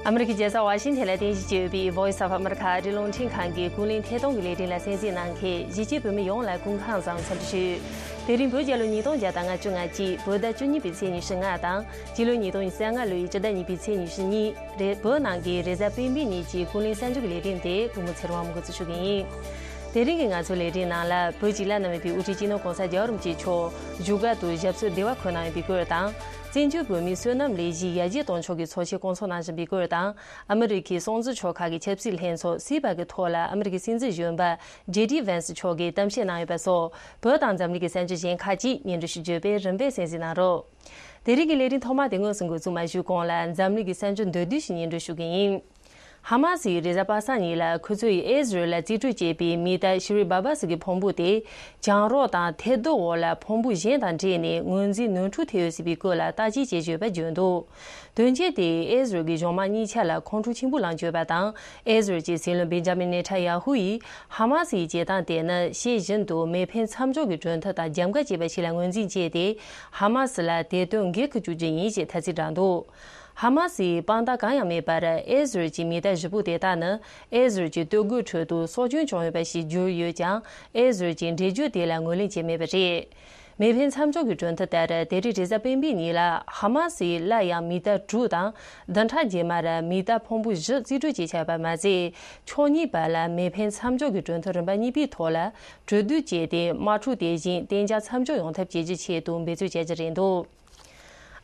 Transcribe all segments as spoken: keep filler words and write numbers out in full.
ཨ་མི་རི་ཀའི་རྒྱལ་ས་ཝ་ཤིང་ཐན་ལ་རྟེན་གཞི་བྱས་ཡོད་པའི་Voice of America ཨ་རིའི་རླུང་འཕྲིན་ཁང་གི་ཀུན་གླེང་ཐད་གཏོང་གི་ལས་རིམ་ལ་གསན་གཟིགས་གནང་མཁན་གཞིས་བྱེས་བོད་མི་ཡོངས་ལ་སྐུ་ཁམས་བཟང་། འཚམས་འདྲི་ཞུ། དེ་རིང་བོད་རྒྱལ་ལོ་ཉིས་སྟོང་བརྒྱ་དང་ང་གཅིག་བོད་ཟླ་བཅུ་གཉིས་པའི་ཚེས་ཉི་ཤུ་ལྔ་དང་། སྤྱི་ལོ་ཉིས་སྟོང་ཉི་ཤུ་རྩ་ལྔ་ལོའི་སྤྱི་ཟླ་གཉིས་པའི་ཚེས་ཉི་ཤུ་གཉིས། རེད། བོད་ནང་གི་རེས་གཟའ་སྤེན་པའི་ཉིན་གྱི་ཀུན་གླེང་གསར་འགྱུར་གྱི་ལས་རིམ་དེ་ཀུན་མོ་ཚེ་རིང་དབང་མོ་འགོ་འཛུགས་ཞུ་གི་ཡིན། དེ་རིང་གི་ང་ཚོའི་ལས་རིམ་ནང་ལ། བོད་ཀྱི་བླ་ན་མེད་པའི་དབུ་ཁྲིད་སྤྱི་ནོར་༸གོང་ས་༸རྒྱལ་བ་རིན་པོ་ཆེ་མཆོག་བཞུགས་སྒར་དུ་ཞབས་སོར་བདེ་བར་འཁོད་གནང་ཡོད་པའི་སྐོར་དང་། བཙན་བྱོལ་བོད་མིའི་བསོད་ནམས་ལས་གཞིའི་ཡར་རྒྱས་གཏོང་ཕྱོགས་ཀྱི་ཚོགས་ཆེན་བསྐོང་ཚོགས་གནང་བཞིན་པའི་སྐོར་དང་། ཨ་མི་རི་ཁའི་སྲོང་བཙན་ཕྱོགས་ཁག་གི་ཆབ་སྲིད་ལྷན་ཚོགས་སི་པེག་གི་ཐོག་ལ་ཨ་མི་རི་ཀའི་སྲིད་འཛིན་གཞོན་པ་ཇེ་ཌི་ཝན་སི་མཆོག་གིས་གཏམ་བཤད་གནང་ཡོད་པ་སོགས། བོད་དང་འཛམ་གླིང་གི་གསར་འགྱུར་གཞན་ཁག་ཅིག་སྙན་སྒྲོན་ཞུ་རྒྱུ་བས་རིམ་པས་གསན་གཟིགས་གནང་རོགས། དེ་རིང་གི་ལས་རིམ་ཐོག་མ་དེ་དངོས་སུ་འགོ་འཛུགས་མ་ཞུས་གོང་ལ། འཛམ་གླིང་གི་གསར་འགྱུར་མདོར་བསྡུས་ཤིག་སྙན་སྒྲོན་ཞུ་གི་ཡིན། ཧ་མ་སིས་རེས་གཟའ་པ་སངས་ཉིན་ལ་ཁོ་ཚོས་ཨེ་ཟི་རལ་ལ་རྩིས་སྤྲོད་བྱས་པའི་མི་ཏ་ཤི་རི་བྷ་བ་སི་གི་ཕུང་པོ་དེ། གྱང་རོ་དང་ཐལ་རྡུལ་འོག་ལ་ཕུང་པོ་གཞན་དང་འདྲེས་ནས་ངོས་འཛིན་ནོར་འཁྲུལ་ཐེབས་ཡོད་སྲིད་པའི་སྐོར་ལ་བརྟག་དཔྱད་བྱེད་བཞིན་ཡོད་པ་བརྗོད་འདུག་དོན་རྐྱེན་དེས་ཨེ་ཟི་རལ་གྱི་གཞུང་དམངས་གཉིས་ཆ་ལ་ཁོང་ཁྲོ་ཆེན་པོ་ལངས་བྱས་ཡོད་པ་དང་། ཨེ་ཟི་རལ་གྱི་སྲིད་བློན་བེན་ཇ་མིན་ནེ་ཐན་ཡ་ཧུ་ཡིས་ཧ་མ་སིའི་བྱེད་སྟངས་དེ་ནི་ཤེས་བཞིན་དུ་མེ་འཕེན་མཚམས་འཇོག་གི་གྲོས་མཐུན་དང་རྒྱབ་འགལ་བྱས་པ་ཞིག་ལ་ངོས་འཛིན་བྱས་ཏེ། ཧ་མ་སི་ལ་དེ་དོན་འགེལ་དུ་བཅུག་རྒྱུ་ཡིན་ཞེས་ཐ་ཚིག་བསྒྲགས་འདུག་ཧ་མ་སིའི་དཔང་རྟགས་གང་ཡང་མེད་པར། ཨེ་ཟི་རལ་གྱི་མི་ཏ་བཞི་པོ་དེ་དག་ནི་ཨེ་ཟི་རལ་གྱི་སྟོད་གོས་ཁྲོད་དུ་སྲོག་སྐྱོན་བྱུང་ཡོད་པ་ཞིག་བསྒྱུར་ཡོད་ཀྱང་། ཨེ་ཟི་རལ་གྱིས་འགྲེལ་བརྗོད་དེ་ལ་ངོས་ལེན་བྱས་མེད་པ་རེད། མེ་འཕེན་མཚམས་འཇོག་གི་གྲོས་མཐུན་ལྟར། དེ་རིང་རེས་གཟའ་སྤེན་པའི་ཉིན་ལ་ཧ་མ་སིས་སླར་ཡང་མི་ཏ་དྲུག་དང་། བདུན་ཕྲག་རྗེས་མར་མི་ཏ་ཕུང་པོ་བཞི་རྩིས་སྤྲོད་བྱེད་འཆར་ཡོད་པ་མ་ཟད། ཕྱོགས་གཉིས་བར་ལ་མེ་འཕེན་མཚམས་འཇོག་གི་གྲོས་མཐུན་རིམ་པ་གཉིས་པའི་ཐོག་ལ་གྲོས་བསྡུར་བྱས་ཏེ། དམག་འཁྲུག་དེ་བཞིན་གཏན་འཇགས་མཚམས་འཇོག་ཡོང་ཐབས་བྱེད་རྒྱུའི་ཆེད་དུ་འབད་བརྩོན་བྱ་རྒྱུ་རེད་འདུག་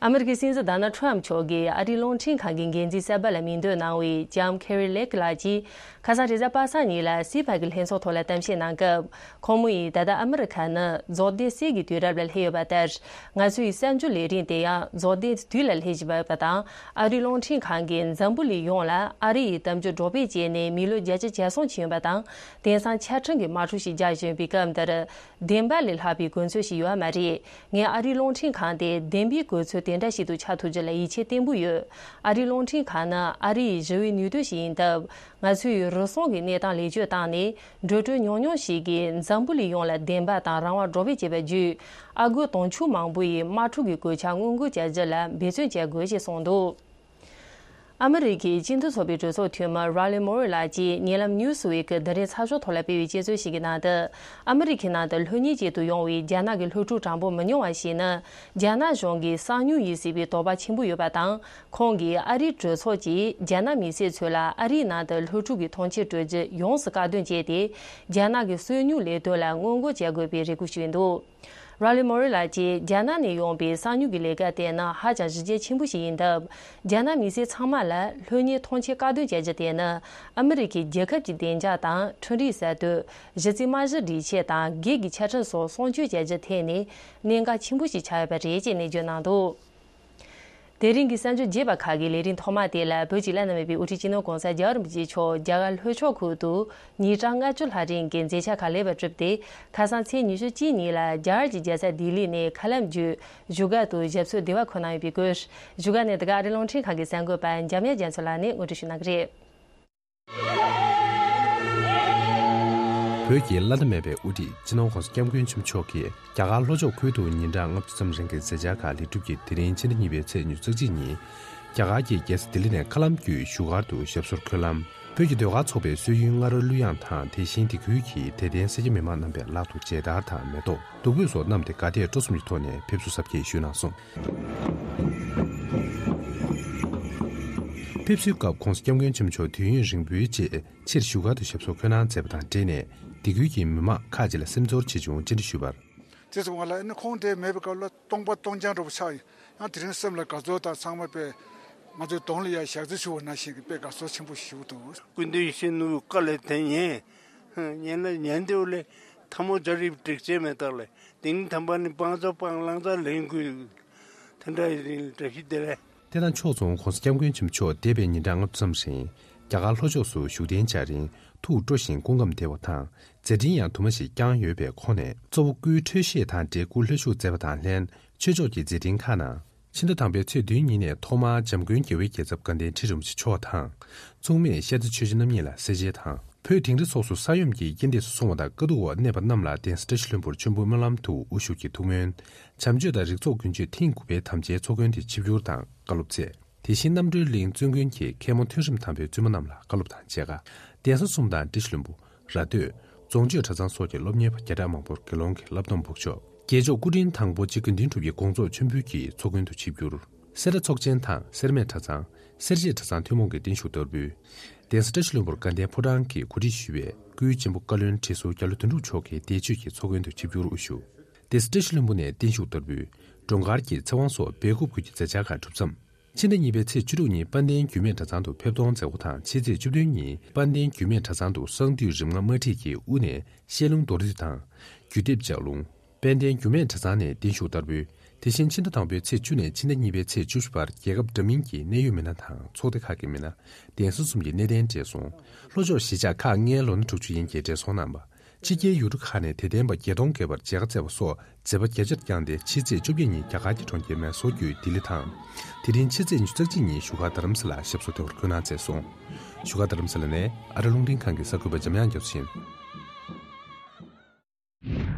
ཨ་མི་རི་ཀའི་སྲིད་འཛིན་ཌོ་ནལ་ཊམ་ཕྱོགས་ཀྱིས་ཨ་རིའི་རླུང་འཕྲིན་ཁང་གི་འགན་འཛིན་གསར་པ་ལ་མིང་འདོན་གནང་བའི་ལྕམ་ཁེ་རི་ལེག་ལགས་ཀྱིས། ཁ་སང་རེས་གཟའ་པ་སངས་ཉིན་ལ་སི་པེག་གི་ལྷན་ཚོགས་ཐོག་ལ་གཏམ་བཤད་གནང་སྐབས། ཁོང་མོ་ཡིས་ད་ལྟ་ཨ་མི་རི་ཁ་ནི་རྫོགས་ལྡན་གསེར་གྱི་དུས་རབས་ལ་སླེབས་ཡོད་པ་ལྟར། ང་ཚོའི་གསར་འགྱུར་ལས་རིམ་དེ་ཡང་རྫོགས་ལྡན་དུས་ལ་སླེབས་བཞིན་པ་ཡོད་པ་དང་། ཨ་རིའི་རླུང་འཕྲིན་ཁང་གིས་འཛམ་བུ་གླིང་ཡོངས་ལ་ཨ་རི་ཡི་གཏམ་རྒྱུད་སྒྲོག་སྤེལ་བྱས་ནས་མི་ལོ་བརྒྱད་ཅུ་གྱ་གསུམ་ཕྱིན་ཡོད་པ་དང་། དེང་སང་ཆ་འཕྲིན་གྱི་དམག་འཁྲུག་ཞིག་རྒྱག་བཞིན་པའི་སྐབས་འདིར། བདེན་པ་ལས་ལྷག་པའི་དགོས་ཚུལ་ཞིག་ཡོད་མ་རེད། ངས་ཨ་རིའི་རླུང་འཕྲིན་ཁང་དེ་བདེན་པའི་དགོས་ཚུལ་དེ་འདྲ་ཞིག་ཏུ་ཆགས་ཐུབ་རྒྱུ་ལ་ཡིད་ཆེས་བརྟན་པོ་ཡོད། ཨ་རིའི་རླུང་འཕྲིན་ཁང་ནི་ཨ་རི་ཡི་ཞི་བའི་ནུས་སྟོབས་ཤིག་ཡིན་སྟབས། ང་ཚོས་རུལ་སུངས་ཀྱི་གནས་སྟངས་ལེགས་བཅོས་བཏང་ནས། འགྲོ་གྲོན་ཉུང་ཉུང་ཞིག་གིས་འཛམ་བུ་གླིང་ཡོངས་ལ་བདེན་པ་དང་རང་དབང་སྒྲོག་སྤེལ་བྱས་པ་བརྒྱུད། ཨ་སྒོར་དུང་ཕྱུར་མང་པོ་ཡི་དམག་འཁྲུག་གི་གོད་ཆག་སྔོན་འགོག་བྱ་རྒྱུ་ལ་འབད་བརྩོན་བྱ་དགོས་ཞེས་གསུངས་འདུག་ཨ་མི་རི་ཀའི་སྤྱི་མཐུན་ཚོགས་པའི་གྲོས་ཚོགས་འཐུས་མི་ར་ལི་མོ་རི་ལགས་ཀྱིས་ཉེ་ལམ་ནིའུ་སི་ཝིག་གི་དེ་རིང་ཚགས་ཤོག་ཐོག་ལ་སྤེལ་བའི་དཔྱད་རྩོད་ཞིག་གི་ནང་དུ། ཨ་མི་རི་ཀའི་ནང་དུ་སློབ་གཉེར་ཆེད་དུ་ཡོང་བའི་རྒྱ་ནག་གི་སློབ་ཕྲུག་གྲངས་འབོར་མི་ཉུང་བ་ཞིག་ནི། རྒྱ་ནག་གཞུང་གི་གསང་ཉུལ་ཡིན་སྲིད་པའི་དོགས་པ་ཆེན་པོ་ཡོད་པ་དང་། ཁོང་གིས་ཨ་རིའི་གྲོས་ཚོགས་ཀྱིས་རྒྱ་ནག་མི་སེར་ཚོ་ལ་ཨ་རིའི་ནང་དུ་སློབ་ཕྲུག་གི་ཐོངས་མཆན་སྤྲོད་རྒྱུ་ཡོངས་སུ་བཀག་སྡོམ་བྱས་ཏེ། རྒྱ་ནག་གི་སོ་ཉུལ་ལས་དོན་ལ་སྔོན་འགོག་བྱ་དགོས་པའི་རེ་སྐུལ་ཞུས་འདུག་ར་ལི་མོ་རི་ལགས་ཀྱིས་རྒྱ་ནག་ནས་ཡོང་པའི་གསང་ཉུལ་གྱི་ལས་ཀ་དེ་ནི་ཧ་ཅང་གཞི་རྒྱ་ཆེན་པོ་ཞིག་ཡིན་སྟབས། རྒྱ་ནག་མི་སེར་ཚང་མ་ལ་སློབ་གཉེར་ཐོངས་མཆན་བཀག་སྡོམ་བྱ་རྒྱུ་དེ་ནི་ཨ་མི་རི་ཀའི་རྒྱལ་ཁབ་ཀྱི་བདེ་འཇགས་དང་། འཕྲུལ་རིག་གསར་གཏོད། གཞི་རྩའི་རྨང་གཞི་སྒྲིག་ཆས་དང་། སྒེར་གྱི་ཆ་འཕྲིན་སོགས་སྲུང་སྐྱོབ་བྱ་རྒྱུའི་ཐད་ནས་གནད་འགག་ཆེན་པོ་ཞིག་ཆགས་ཡོད་པ་རེད་ཅེས་ནན་བརྗོད་གནང་འདུག་དེ་རིང་གི་གསར་འགྱུར་རྒྱས་པ་ཁག་གི་ལས་རིམ་ཐོག་མ་དེ་ལ། བོད་ཀྱི་བླ་ན་མེད་པའི་དབུ་ཁྲིད་སྤྱི་ནོར་༸གོང་ས་༸རྒྱལ་བ་རིན་པོ་ཆེ་མཆོག་རྒྱ་གར་ལྷོ་ཕྱོགས་ཁུལ་དུ་ཉིན་གྲངས་ལྔ་བཅུ་ལྷག་རིང་གི་མཛད་འཆར་ཁག་ལེགས་པར་གྲུབ་སྟེ། ཁ་སང་ཚེས་ཉི་ཤུ་གཅིག་ཉིན་ལ་རྒྱ་གར་གྱི་རྒྱལ་ས་ལྡི་ལི་ནས་མཁའ་ལམ་བརྒྱུད་བཞུགས་སྒར་དུ་ཞབས་སོར་བདེ་བར་འཁོད་གནང་ཡོད་པའི་སྐོར། བཞུགས་སྒར་ནས་དེ་ག་ཨ་རིའི་རླུང་འཕྲིན་ཁང་གི་གསར་འགོད་པ་འཇམ་དབྱངས་རྒྱ་མཚོ་ལགས་ནས་ངོ་སྤྲོད་ཞུ་གནང་གི་རེད། བོད་ཀྱི་བླ་ན་མེད་པའི་དབུ་ཁྲིད་སྤྱི་ནོར་༸གོང་ས་༸སྐྱབས་མགོན་ཆེན་པོ་མཆོག་གིས་རྒྱ་གར་ལྷོ་ཕྱོགས་ཁུལ་དུ་ཉིན་གྲངས་ལྔ་བཅུ་ཙམ་རིང་གི་མཛད་འཆར་ཁག་ལེགས་གྲུབ་ཀྱིས། དེ་རིང་ཕྱི་ཟླ་གཉིས་པའི་ཚེས་ཉི་ཤུ་རྩ་གཅིག་ཉིན། རྒྱ་གར་གྱི་རྒྱལ་ས་ལྡི་ལི་ནས་མཁའ་ལམ་བརྒྱུད་བཞུགས་སྒར་དུ་ཞབས་སོར་འཁོད་ལམ། བོད་ཀྱི་ཟློས་གར་ཚོགས་པའི་སྲོལ་ཡུལ་རྔ་རོལ་གླུ་དབྱངས་དང་། དེ་བཞིན་དེ་ཁུལ་གྱི་དད་ལྡན་སེར་སྐྱ་མི་མང་རྣམ་པས་ལག་ཏུ་མཇལ་དར་དང་མེ་ཏོག་བདུག་སྤོས་སོགས་བསྣམས་ཏེ། དགའ་དད་སྤྲོ་གསུམ་གྱི་ཐོག་ནས་ཕེབས་བསུ་གཟབ་རྒྱས་ཞུས་གནང་སོང་། ཕེབས་བསུའི་སྐབས་༸གོང་ས་༸སྐྱབས་མགོན་ཆེན་པོ་མཆོག་དུས་ཡུན་རིང་པོའི་རྗེས་ཕྱིར་བཞུགས་སྒར་དུ་ཞབས་སོར་འཁོད་གནང་མཛད་པ་དང་འབྲེལ་ནས། དེ་ཁུལ་གྱི་མི་མང་ཁག་ཅིག་ལ་སེམས་ཚོར་ཆེ་ཆུང་བཅར་འདྲི་ཞུས་པར། དེ་ཙམ་པ་ལ་ཨ་ནི་ཁོང་དེ་མེད་པའི་སྐབས་ལ་སྟོང་པ་སྟོང་རྐྱང་འདྲ་པོ་ཆགས་ཡོད། ཡང་དེ་རིང་སེམས་ལ་དགའ་ཚོར་དང་། ཚང་མ་དཔེ་ང་ཚོའི་གདོང་ལ་ཡ་ཞག་རྩི་ཞུ་བ་ནང་བཞིན་གྱི་དཔེ་དགའ་ཚོར་ཆེན་པོ་ཞིག་འདུག་སྐུ་མདུན་ཡིད་བཞིན་ནོར་བུའི་བཀའ་ལ་དེ་ཉན། ཉན་ལ་ཉན་དེ་བ་ལས་ཐལ་མོ་སྦྱར་ཡི་སྒྲིག་ཆས་མེད་དག་ལས། དེ་ནི་དམ་པ་ནི་བང་མཛོད་སྤང་བླང་དང་ལེན་དགོས། དེ་འདྲ་ཡིན་བཀྲ་ཤིས་བདེ་ལེགས། དེ་དང་ཕྱོགས་མཚུངས་༸གོང་ས་༸སྐྱབས་མགོན་ཆེན་པོ་མཆོག་འདས་པའི་ཉིན་གྲངས་ལྔ་བཅུ་ཙམ་རིང་རྒྱ་གར་ལྷོ་ཕྱོགས་སུ་བཞུགས་གདན་འཇགས་རིང་ཐུགས་སྤྲོ་ཞིང་སྐུ་ཁམས་བདེ་བ་དང་། མཛད་འཕྲིན་ཡང་དུ་མ་ཞིག་བསྐྱངས་ཡོད་པའི་ཁོངས་ནས། གཙོ་བོ་སྐུའི་འཕྲོད་བཞེས་དང་འབྲེལ་སྐུ་ལྷོད་བཞུགས་མཛད་པ་དང་ལྷན། ཆོས་ཕྱོགས་ཀྱི་མཛད་འཕྲིན་ཁག་ནང་། ཕྱི་ཟླ་དང་པོའི་ཚེས་བདུན་ཉིན་ནས་ཐོག་མར་འཇམ་མགོན་རྒྱལ་བའི་རྒྱལ་ཚབ་དགའ་ལྡན་ཁྲི་རིན་པོ་ཆེ་མཆོག་དང་། མཚུངས་མེད་ཤར་རྩེ་ཆོས་རྗེ་རྣམ་གཉིས་ལ་གསལ་མཇལ་དང་། བོད་དིང་རི་སོགས་སུ་ས་ཡོམ་གྱི་རྐྱེན་འདས་སུ་སོང་བ་དང་། དཀའ་སྡུག་འོག་གནས་པ་རྣམས་ལ་གདན་ས་བཀྲ་ཤིས་ལྷུན་པོར་མཆོད་འབུལ་སྨོན་ལམ་དུ་དབུ་བཞུགས་ཀྱིས་ཐུགས་སྨོན། བྱམས་ཆོས་དང་རིག་ཚོགས་ཀུན་སྤྱོད་ཐེངས་དགུ་པའི་དམ་བཅའི་ཚོགས་མགོན་དེ་ཆིབས་བསྒྱུར་དང་བཀའ་སློབ་སྩལ། དེ་བཞིན་རྣམ་གྲོལ་གླིང་བཙུན་དགོན་གྱི་མཁན་མོ་ཐོན་རིམ་དམ་པའི་བཙུན་མོ་རྣམས་ལ་བཀའ་སློབ་དང་མཇལ་ཁ། གདན་ས་གསུམ་དང་བཀྲ་ཤིས་ལྷུན་པོ། ར་སྟོད། རྫོང་ཆོས་གྲྭ་ཚང་སོགས་ཀྱི་སློབ་གཉེར་བ་བརྒྱ་ཕྲག་མང་པོར་དགེ་སློང་གི་བསླབ་སྡོམ་འབོགས་ཆོག་རྒྱལ་མཆོག་སྐུ་ཕྲེང་དང་པོ་གཅིག་དགེ་འདུན་གྲུབ་ཀྱི་དགོངས་རྫོགས་མཆོད་འབུལ་གྱི་ཚོགས་མགོན་དུ་ཆིབས་བསྒྱུར། སེ་ར་ཚོགས་ཆེན་དང་སེར་སྨད་གྲྭ་ཚང་། སེར་བྱེས་གྲྭ་ཚང་ཐུན་མོང་གི་བརྟན་བཞུགས་བསྟར་འབུལ། གདན་ས་བཀྲ་ཤིས་ལྷུན་པོར་དགའ་ལྡན་ཕོ་བྲང་གི་གོ་སྒྲིག་ཞུས་པའི་སྐུའི་གཅེན་པོ་བཀའ་བློན་ཁྲི་ཟུར་རྒྱ་ལོ་དོན་གྲུབ་མཆོག་གིས་འདས་མཆོད་ཀྱི་ཚོགས་མགོན་དུ་ཆིབས་བསྒྱུར་དབུ་བཞུགས། གདན་ས་བཀྲ་ཤིས་ལྷུན་པོ་ནས་བརྟན་བཞུགས་བསྟར་འབུལ། འགྲོ་མཁར་གྱི་ཚེ་དབང་སོགས་སྦེལ་ཀོབ་ཁུལ་གྱི་མཛད་འཆར་ཁག་གྲུབ་མཚམས། ཕྱི་ཟླ་གཉིས་པའི་ཚེས་བཅུ་དྲུག་ཉིན་དཔལ་ལྡན་རྒྱུད་སྨད་གྲྭ་ཚང་དུ་ཕེབས་གཏོང་མཛད་སྒོ་དང་། ཕྱི་ཚེས་བཅུ་བདུན་ཉིན་དཔལ་ལྡན་རྒྱུད་སྨད་གྲྭ་ཚང་དུ་གསང་འདུས་རིམ་ལྔ་དམར་ཁྲིད་ཀྱི་དབུ་ནས་བཤད་ལུང་མདོར་བསྡུས་དང་། རྒྱུད་སྡེབ་ལྗགས་ལུང་། དཔལ་ལྡན་རྒྱུད་སྨད་གྲྭ་ཚང་ནས་བརྟན་བཞུགས་བསྟར་འབུལ། དེ་བཞིན་ཕྱི་ཟླ་དང་པོའི་ཚེས་བཅུ་ནས་ཕྱི་ཟླ་གཉིས་པའི་ཚེས་བཅུ་བཞི་བར་རྒྱལ་ཁབ་འདྲ་མིན་གྱི་གནད་ཡོད་མི་སྣ་དང་ཚོགས་སྡེ་ཁག་གི་མི་སྣ། གདན་ས་གསུམ་གྱི་གནས་བརྟན་བགྲེས་སོང་། ལྷོ་ཕྱོགས་གཞིས་ཆགས་ཁག་ལྔའི་ལོ་ན་དྲུག་ཅུ་ཡན་གྱི་བགྲེས་སོང་རྣམ་པ། ཕྱི་རྒྱལ་ཡུལ་གྲུ་ཁག་ནས་དད་ལྡན་པ་བརྒྱད་སྟོང་བརྒལ་བར་མཇལ་ཁ་བསྩལ་བ་སོགས་མཛད་པ་རྒྱ་ཆེར་བསྐྱངས་ཏེ། ཕྱི་ཚེས་བཅོ་བརྒྱད་ཉིན་རྒྱ་གར་གྱི་གྲོང་ཁྱེར་མེ་སོར་བརྒྱུད་ལྡི་ལི་དང་། དེ་རིང་ཕྱི་ཚེས་ཉི་ཤུ་རྩ་གཅིག་ཉིན་བཞུགས་སྒར་རྡ་རམ་ས་ལར་ཞབས་སོར་ཐེག་པར་འཁོད་གནང་མཛད་སོང་། བཞུགས་སྒར་རྡ་རམ་ས་ལ་ནས་ཨ་རི་རླུང་འཕྲིན་ཁང་གི་གསར་འགོད་པ་འཇམ་དབྱངས་རྒྱ་མཚོ་ཡིན།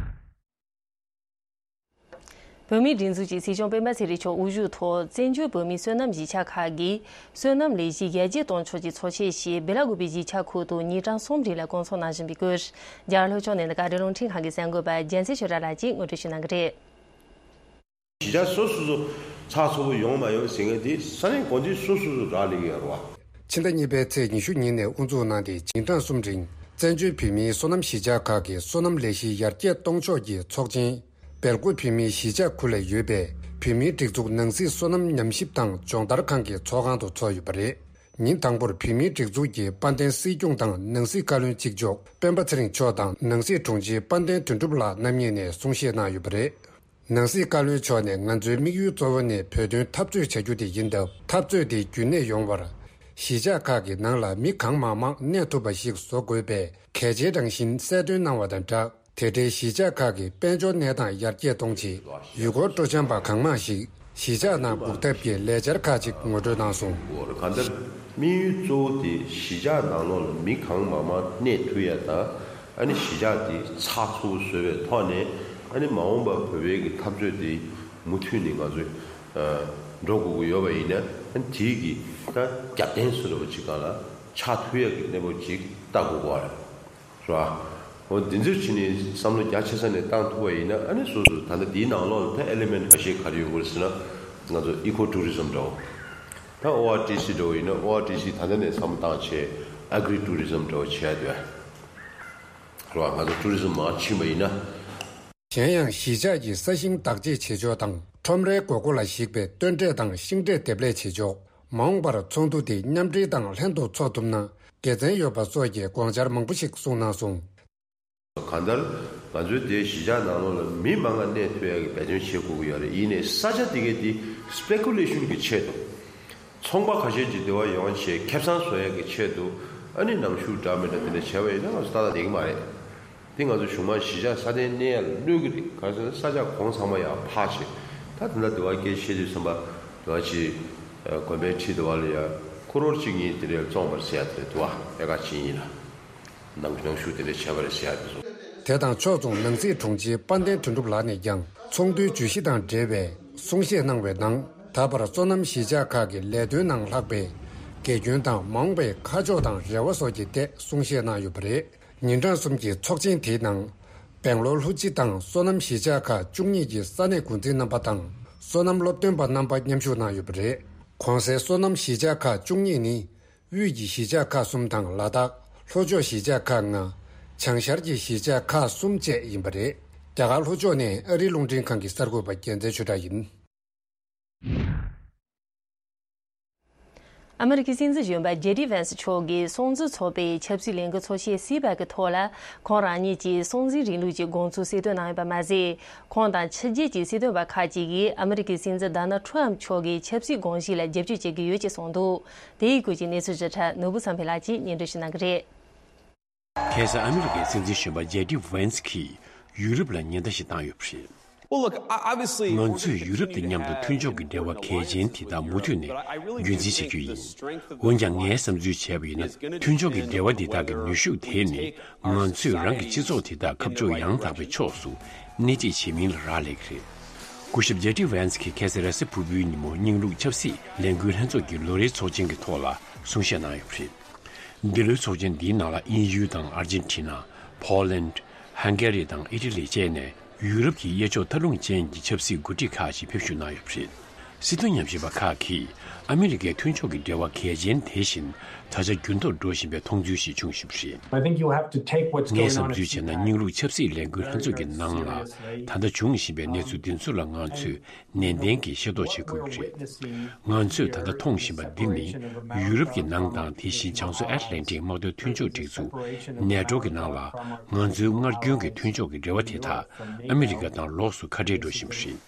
བོད་མིའི་སྒྲིག་འཛུགས་ཀྱི་སྲིད་སྐྱོང་སྤེན་པ་ཚེ་རིང་མཆོག་དབུ་བཞུགས་ཐོག་བཙན་བྱོལ་བོད་མིའི་སོ་ནམ་གཞིས་ཆགས་ཁག་གིས་སོ་ནམ་ལས་གཞི་ཡར་རྒྱས་གཏོང་ཕྱོགས་ཀྱི་ཚོགས་ཆེན་ཞིག་སྦེ་ལ་ཀུ་པེ་གཞིས་ཆགས་ཁུལ་དུ་ཉིན་གྲངས་གསུམ་རིང་ལ་སྐོང་ཚོགས་གནང་བཞིན་པའི་སྐོར། རྒྱ་གར་ལྷོ་ཕྱོགས་ནས་ཨ་རི་རླུང་འཕྲིན་ཁང་གི་གསར་འགོད་པ་རྒྱལ་མཚན་ཆོས་གྲགས་ལགས་ཀྱིས་ངོ་སྤྲོད་ཞུ་གནང་གི་རེད། གཞིས་ཆགས་སོ་སོ་སོ་ཚགས་ཚུད་པོ་ཡོང་མ་ཡོང་ཟེར་མཁན་དེ་ས་གནས་འགོ་འཛིན་སོ་སོ་སོ་རག་ལས་ཀྱི་ཡོད་རེད་བ། ཕྱི་ཟླ་གཉིས་པའི་ཚེས་ཉི་ཤུ་ཉིན་ནས་དབུ་འཛུགས་གནང་སྟེ། ཉིན་གྲངས་གསུམ་རིང་བཙན་བྱོལ་བོད་མིའི་སོ་ནམ་གཞིས་ཆགས་ཁག་གི་སོ་ནམ་ལས་གཞི་ཡར་རྒྱས་གཏོང་ཕྱོགས་ཀྱི་ཚོགས་ཆེན་སྦེལ་ཀོབ་བོད་མིའི་གཞིས་ཆགས་ཁུལ་ལ་ཡོད་པའི་བོད་མིའི་སྒྲིག་འཛུགས་ནང་སྲིད་སོ་ནམ་ཉམས་ཞིབ་དང་སྦྱོང་བརྡར་ཁང་གི་ཚོགས་ཁང་དུ་ཚོགས་ཡོད་པ་རེད། ཉིན་དང་པོར་བོད་མིའི་སྒྲིག་འཛུགས་ཀྱི་དཔལ་ལྡན་སྲིད་སྐྱོང་དང་ནང་སྲིད་བཀའ་བློན་གཅིག་ལྕོགས་སྤེན་པ་ཚེ་རིང་མཆོག་དང་ནང་སྲིད་དྲུང་ཆེ་དཔལ་ལྡན་དོན་གྲུབ་ལགས་རྣམ་གཉིས་ནས་གསུང་བཤད་གནང་ཡོད་པ་རེད། ནང་སྲིད་བཀའ་བློན་མཆོག་ནས་ང་ཚོའི་དམིགས་ཡུལ་གཙོ་བོ་ནི་བོད་དོན་འཐབ་རྩོད་བྱ་རྒྱུ་དེ་ཡིན་སྟབས། འཐབ་རྩོད་དེ་རྒྱུན་གནས་ཡོང་བར་གཞིས་ཆགས་ཁག་གི་ནང་ལ་མི་གང་མང་མང་གནས་ཐུབ་པ་ཞིག་བཟོ་དགོས་པའི་གལ་ཆེའི་རང་བཞིན་གསལ་སྟོན་གནང་བ་དང་སྦྲགས། དེ་འབྲེལ་གཞིས་ཆགས་ཁག་གི་དཔལ་འབྱོར་གནས་སྟངས་ཡར་རྒྱས་གཏོང་ཆེད་ཡུལ་སྐོར་སྤྲོ་འཆམ་པ་གང་མང་ཞིག་གཞིས་ཆགས་ནང་སྒུག་ཐབས་ཀྱི་ལས་འཆར་ཁག་ཅིག་ངོ་སྤྲོད་གནང་སོང་། གང་ལྟར་དམིགས་ཡུལ་གཙོ་བོ་དེ་གཞིས་ཆགས་ནང་ལོགས་ལ་མི་གང་མང་མང་གནས་ཐུབ་ཡ་དང་། ཨ་ནི་གཞིས་ཆགས་དེ་ཚགས་ཚུད་པོ་བཟོས་པའི་ཐོག་ནས། ཨ་ནི་མ་འོངས་པར་བོད་པའི་གི་འཐབ་རྩོད་དེ་མུ་མཐུད་ནས་ང་ཚོས་འགྲོ་དགོས་ཀྱི་ཡོད་པ་ཡིན་ན། ཨ་ནི་དེའི་གི་ད་རྒྱབ་རྟེན་བཟོ་འདྲ་པོ་ཅིག་སྒང་ལ་ཆགས་ཐུབ་ཡ་གི་གནས་བབ་ཅིག་ལྟ་དགོས་ཀྱི་ཡོད་རེད། རེད་བ། འོ་འདི་ཚོའི་ཕྱི་ནས་བསམ་བློ་རྒྱ་ཆེ་ས་ནས་བཏང་ཐུབ་པ་ཡིན་ན། ཨ་ནི་སོ་སོ་ད་ལྟ་འདིའི་ནང་ལོགས་ལ་ད་ཨེ་ལི་མེན་ཊི་ཁ་ཤས་ག་རེ་ཡོང་གི་རེད་ཟེར་ན། ང་ཚོ་ཨི་ཀོ་ཊུ་རི་ཛམ་འདྲ་བོ། ད་ཨོ་ཨར་ཊི་སི་འདྲ་བོ་ཡིན་ན། ཨོ་ཨར་ཊི་སི་ད་ལྟ་ནས་བསམ་བློ་བཏང་བྱས་ཨེ་གྷི་རི་ཊུ་རི་ཛམ་འདྲ་བོ་བྱས་ཡ་འདུག་ཨ། རེད་བ། ང་ཚོ་ཊུ་རི་ཛམ་མར་ཕྱིན་པ་ཡིན་ན། གཞན་ཡང་གཞིས་ཆགས་ཀྱི་ས་ཞིང་བདག་གཅེས་བྱེད་ཕྱོགས་དང་ཁྲོམ་རའི་དགོས་མཁོ་ལ་གཞིགས་པའི་སྟོན་འབྲས་དང་ཤིང་འབྲས་འདེབས་ལས་བྱེད་ཕྱོགས། མ་འོངས་པར་ཚོགས་འདུ་དེ་མཉམ་འབྲེལ་དང་ལྷན་དུ་འཚོགས་ཐུབ་ན་དགེ་མཚན་ཡོད་པ་སོགས་ཀྱི་དགོངས་འཆར་མང་པོ་ཞིག་གསུངས་གནང་སོང་། གང་ལྟར་ང་ཚོའི་དེའི་གཞིས་ཆགས་ནང་ལོགས་ལ་མི་མང་ང་གནས་ཐུབ་ཡག་གི་འབད་བརྩོན་བྱེད་དགོས་ཀྱི་ཡོད་རེད། ཡིན་ནའི་ས་ཆ་དེ་གའི་དེ་སི་པེ་ཀུ་ལེ་ཤོན་གྱི་ཆེད་དུ། ཚོང་པ་ཁ་ཤས་ཀྱིས་དེ་བ་ཡོང་བྱས་ཁེ་བཟང་བཟོ་ཡག་གི་ཆེད་དུ། ཨ་ནི་ནང་ཆུ་འདྲ་མི་འདྲ་དེ་འདྲ་བྱས་པ་ཡིན་ན་ང་ཚོ་ཏག་ཏག་བསྡད་ཀྱི་མ་རེད། དེ་ང་ཚོ་གཞུང་མང་གཞིས་ཆགས་སྲ་བརྟན་གནས་ཡག་ལ་གནོད་ཀྱི་རེད། ག་རེ་ཟེར་ན་ས་ཆ་གོང་ཚང་མ་ཡར་འཕར་བྱས། ད་དེ་འདྲ་དེ་བ་སྐད་བཤད་དུས་ཙམ་པ་དེ་བ་ཅིག་དགོན་པའི་ཁྲི་དེ་བ་ལ་ཡ་ཁུ་རོར་གཅིག་གཉིས་དེ་འདྲ་བཙོངས་པ་རེད་ཟེར་ཡ་དེ་རེད། དེ་བ་ཨེ་ཀར་གཅིག་གཉིས་ལ། ནང་ནང་ཞུགས་དེ་འདྲ་བྱས་པ་རེད་ཟེར་ཡ་དེ་ཚོ། དེ་དང་ཕྱོགས་མཚུངས་ནང་སྲིད་དྲུང་ཆེ་དཔལ་ལྡན་དོན་གྲུབ་ལགས་ནས་ཀྱང་ཚོགས་འདུའི་བརྗོད་གཞི་དང་འབྲེལ་བའི་གསུང་བཤད་གནང་བའི་ནང་། ད་བར་སོ་ནམ་གཞིས་ཆགས་ཁག་གི་ལས་དོན་ནང་ལྷག་པའི་དགེ་སྐྱོན་དང་མ་འོངས་པའི་ཁ་ཕྱོགས་དང་རེ་བ་སོགས་ཀྱི་ཐད་གསུང་བཤད་གནང་ཡོད་པ་རེད། ཉིན་གྲངས་གསུམ་གྱི་ཚོགས་ཆེན་དེའི་ནང་། སྦེང་ལོར་ལྷུ་ཅི་དང་སོ་ནམ་གཞིས་ཆགས་ཁག་བཅུ་གཉིས་ཀྱི་ས་གནས་འགོ་འཛིན་རྣམ་པ་དང་སོ་ནམ་སློབ་སྟོན་པ་རྣམ་པ་མཉམ་ཞུགས་གནང་ཡོད་པ་རེད། གོང་གསལ་སོ་ནམ་གཞིས་ཆགས་ཁག་བཅུ་གཉིས་ནི། དབུས་ཀྱི་གཞིས་ཆགས་ཁག་གསུམ་དང་ལ་དྭགས་ལྷོ་ཕྱོགས་གཞིས་ཆགས་ཁག་ལྔ། བྱང་ཤར་གྱི་གཞིས་ཆགས་ཁག་གསུམ་བཅས་ཡིན་པ་རེད། རྒྱ་གར་ལྷོ་ཕྱོགས་ནས་ཨ་རིའི་རླུང་འཕྲིན་ཁང་གི་གསར་འགོད་པ་རྒྱལ་མཚན་ཆོས་གྲགས་ཡིན། ཨ་མི་རི་ཀའི་སྲིད་འཛིན་གཞོན་པ་ཇེ་ཌི་ཝན་སི་མཆོག་གིས་སྲུང་བརྩི་ཚོགས་པའི་ཆབ་སྲིད་ལས་འགུལ་ཚོགས་ཆེན་སི་པེག་གི་ཐོག་ལ། ཁོང་རང་ཉིད་ཀྱིས་སྲུང་བརྩིའི་རིང་ལུགས་ཀྱི་དགོངས་ཚུལ་གསལ་སྟོན་གནང་ཡོད་པ་མ་ཟད། ཁོང་དང་ཕྱི་རྒྱལ་གྱི་སྲིད་དོན་པ་ཁག་ཅིག་གིས་ཨ་མི་རི་ཀའི་སྲིད་འཛིན་ཌོ་ནལ་ཁྲམ་མཆོག་གི་ཆབ་སྲིད་དགོངས་གཞི་ལ་རྒྱབ་སྐྱོར་བྱེད་ཀྱི་ཡོད་ཅེས་གསུངས་འདུག་དེའི་སྐོར་གྱི་གནས་ཚུལ་ཞིབ་ཕྲ་ནོར་བུ་བསམ་འཕེལ་ལགས་ཀྱིས་སྙན་སྒྲོན་ཞུ་གནང་གི་རེད། ཁ་སང་ཨ་མི་རི་ཀའི་སྲིད་འཛིན་གཞོན་པ་ཇེ་ཌི་ཝན་སི་གིས་ཡུ་རོབ་ལ་ཉེན་བརྡ་ཞིག་བཏང་ཡོད་པ་རེད། Well, look, I- obviously, ང་ཚོས་ཡུ་རོབ་དང་མཉམ་དུ་མཐུན་ཕྱོགས་ཀྱི་འབྲེལ་བ་གལ་ཆེན་དེ་དག་མུ་མཐུད་ནས་རྒྱུན་འཛིན་བྱ་རྒྱུ་ཡིན། འོན་ཀྱང་ངས་བསམ་ཚུལ་བྱས་པ་ཡིན་ན། མཐུན་ཕྱོགས་ཀྱི་འབྲེལ་བ་འདི་དག་གི་ནུས་ཤུགས་དེ་ནི་ང་ཚོས་རང་གི་སྤྱི་ཚོགས་དེ་དག་ཁ་ཕྱོགས་ཡང་དག་པའི་ཕྱོགས་སུ་སྣེ་ཁྲིད་བྱེད་མིན་ལ་རག་ལས་ཀྱི་རེད། སྐུ་ཞབས་ཇེ་ཌི་ཝན་སི་གིས་ཁ་སང་རེས་གཟའ་ཕུར་བུའི་ཉིན་མོ་རྙིང་ལུགས་ཆབ་སྲིད་ལས་འགུལ་ལྷན་ཚོགས་ཀྱི་ལོ་རེའི་ཚོགས་ཆེན་གྱི་ཐོག་ལ་གསུང་བཤད་གནང་ཡོད་པ་རེད། འདི་ལོའི་ཚོགས་ཆེན་འདིའི་ནང་ལ་དབྱིན་ཡུལ་དང་ཨར་ཇེན་ཊི་ན། ཕོ་ལན། ཧང་གེ་རི་དང་ཨི་ཊ་ལི་བཅས་ནས་ཡུ་རོབ་ཀྱི་གཡས་ཕྱོགས་མཐའ་ལྷུང་ཅན་གྱི་ཆབ་སྲིད་འགོ་ཁྲིད་ཁག་ཅིག་ཕེབས་བཞུགས་གནང་ཡོད་པ་རེད། སྲིད་དོན་ཉམས་ཞིབ་པ་ཁག་གིས་ཨ་མི་རི་ཀའི་མཐུན་ཕྱོགས་ཀྱི་འབྲེལ་བ་གལ་ཆེན་དེ་བཞིན་ད་ཆ་འགྱུར་ལྡོག་འགྲོ་བཞིན་པའི་མཐོང་ཚུལ་ཞིག་བྱུང་བཞིན་པ་རེད། I think you have to take what's ངས་going on བསམ་ཚུལ་བྱས་ན་རྙིང་ལུགས་ཆབ་སྲིད་ལས་འགུལ་ལྷན་ཚོགས་ཀྱི་ནང་ལ་ད་ལྟ་བྱུང་བཞིན་པའི་གནས་ཚུལ་འདི་ཚོ་ལ་ང་ཚོས་ནན་ཏན་གྱིས་ཤེས་རྟོགས་བྱེད་དགོས་ཀྱི་རེད། ང་ཚོས་ད་ལྟ་མཐོང་བཞིན་པ་འདི་ནི་ཡུ་རོབ་ཀྱི་ནང་དང་དེ་བཞིན་བྱང་མཚོ་ཨེཊ་ལན་ཊིག་དམག་དོན་མཐུན་ཕྱོགས་སྒྲིག་འཛུགས་ནེ་ཊོ་གི་ནང་ལ་ང་ཚོའི་སྔར་རྒྱུན་གྱི་མཐུན་ཕྱོགས་ཀྱི་འབྲེལ་བ་དེ་དག་ཨ་མི་རི་ཀ་དང་ལོགས་སུ་ཁ་བྲལ་འགྲོ་བཞིན་པ་རེད།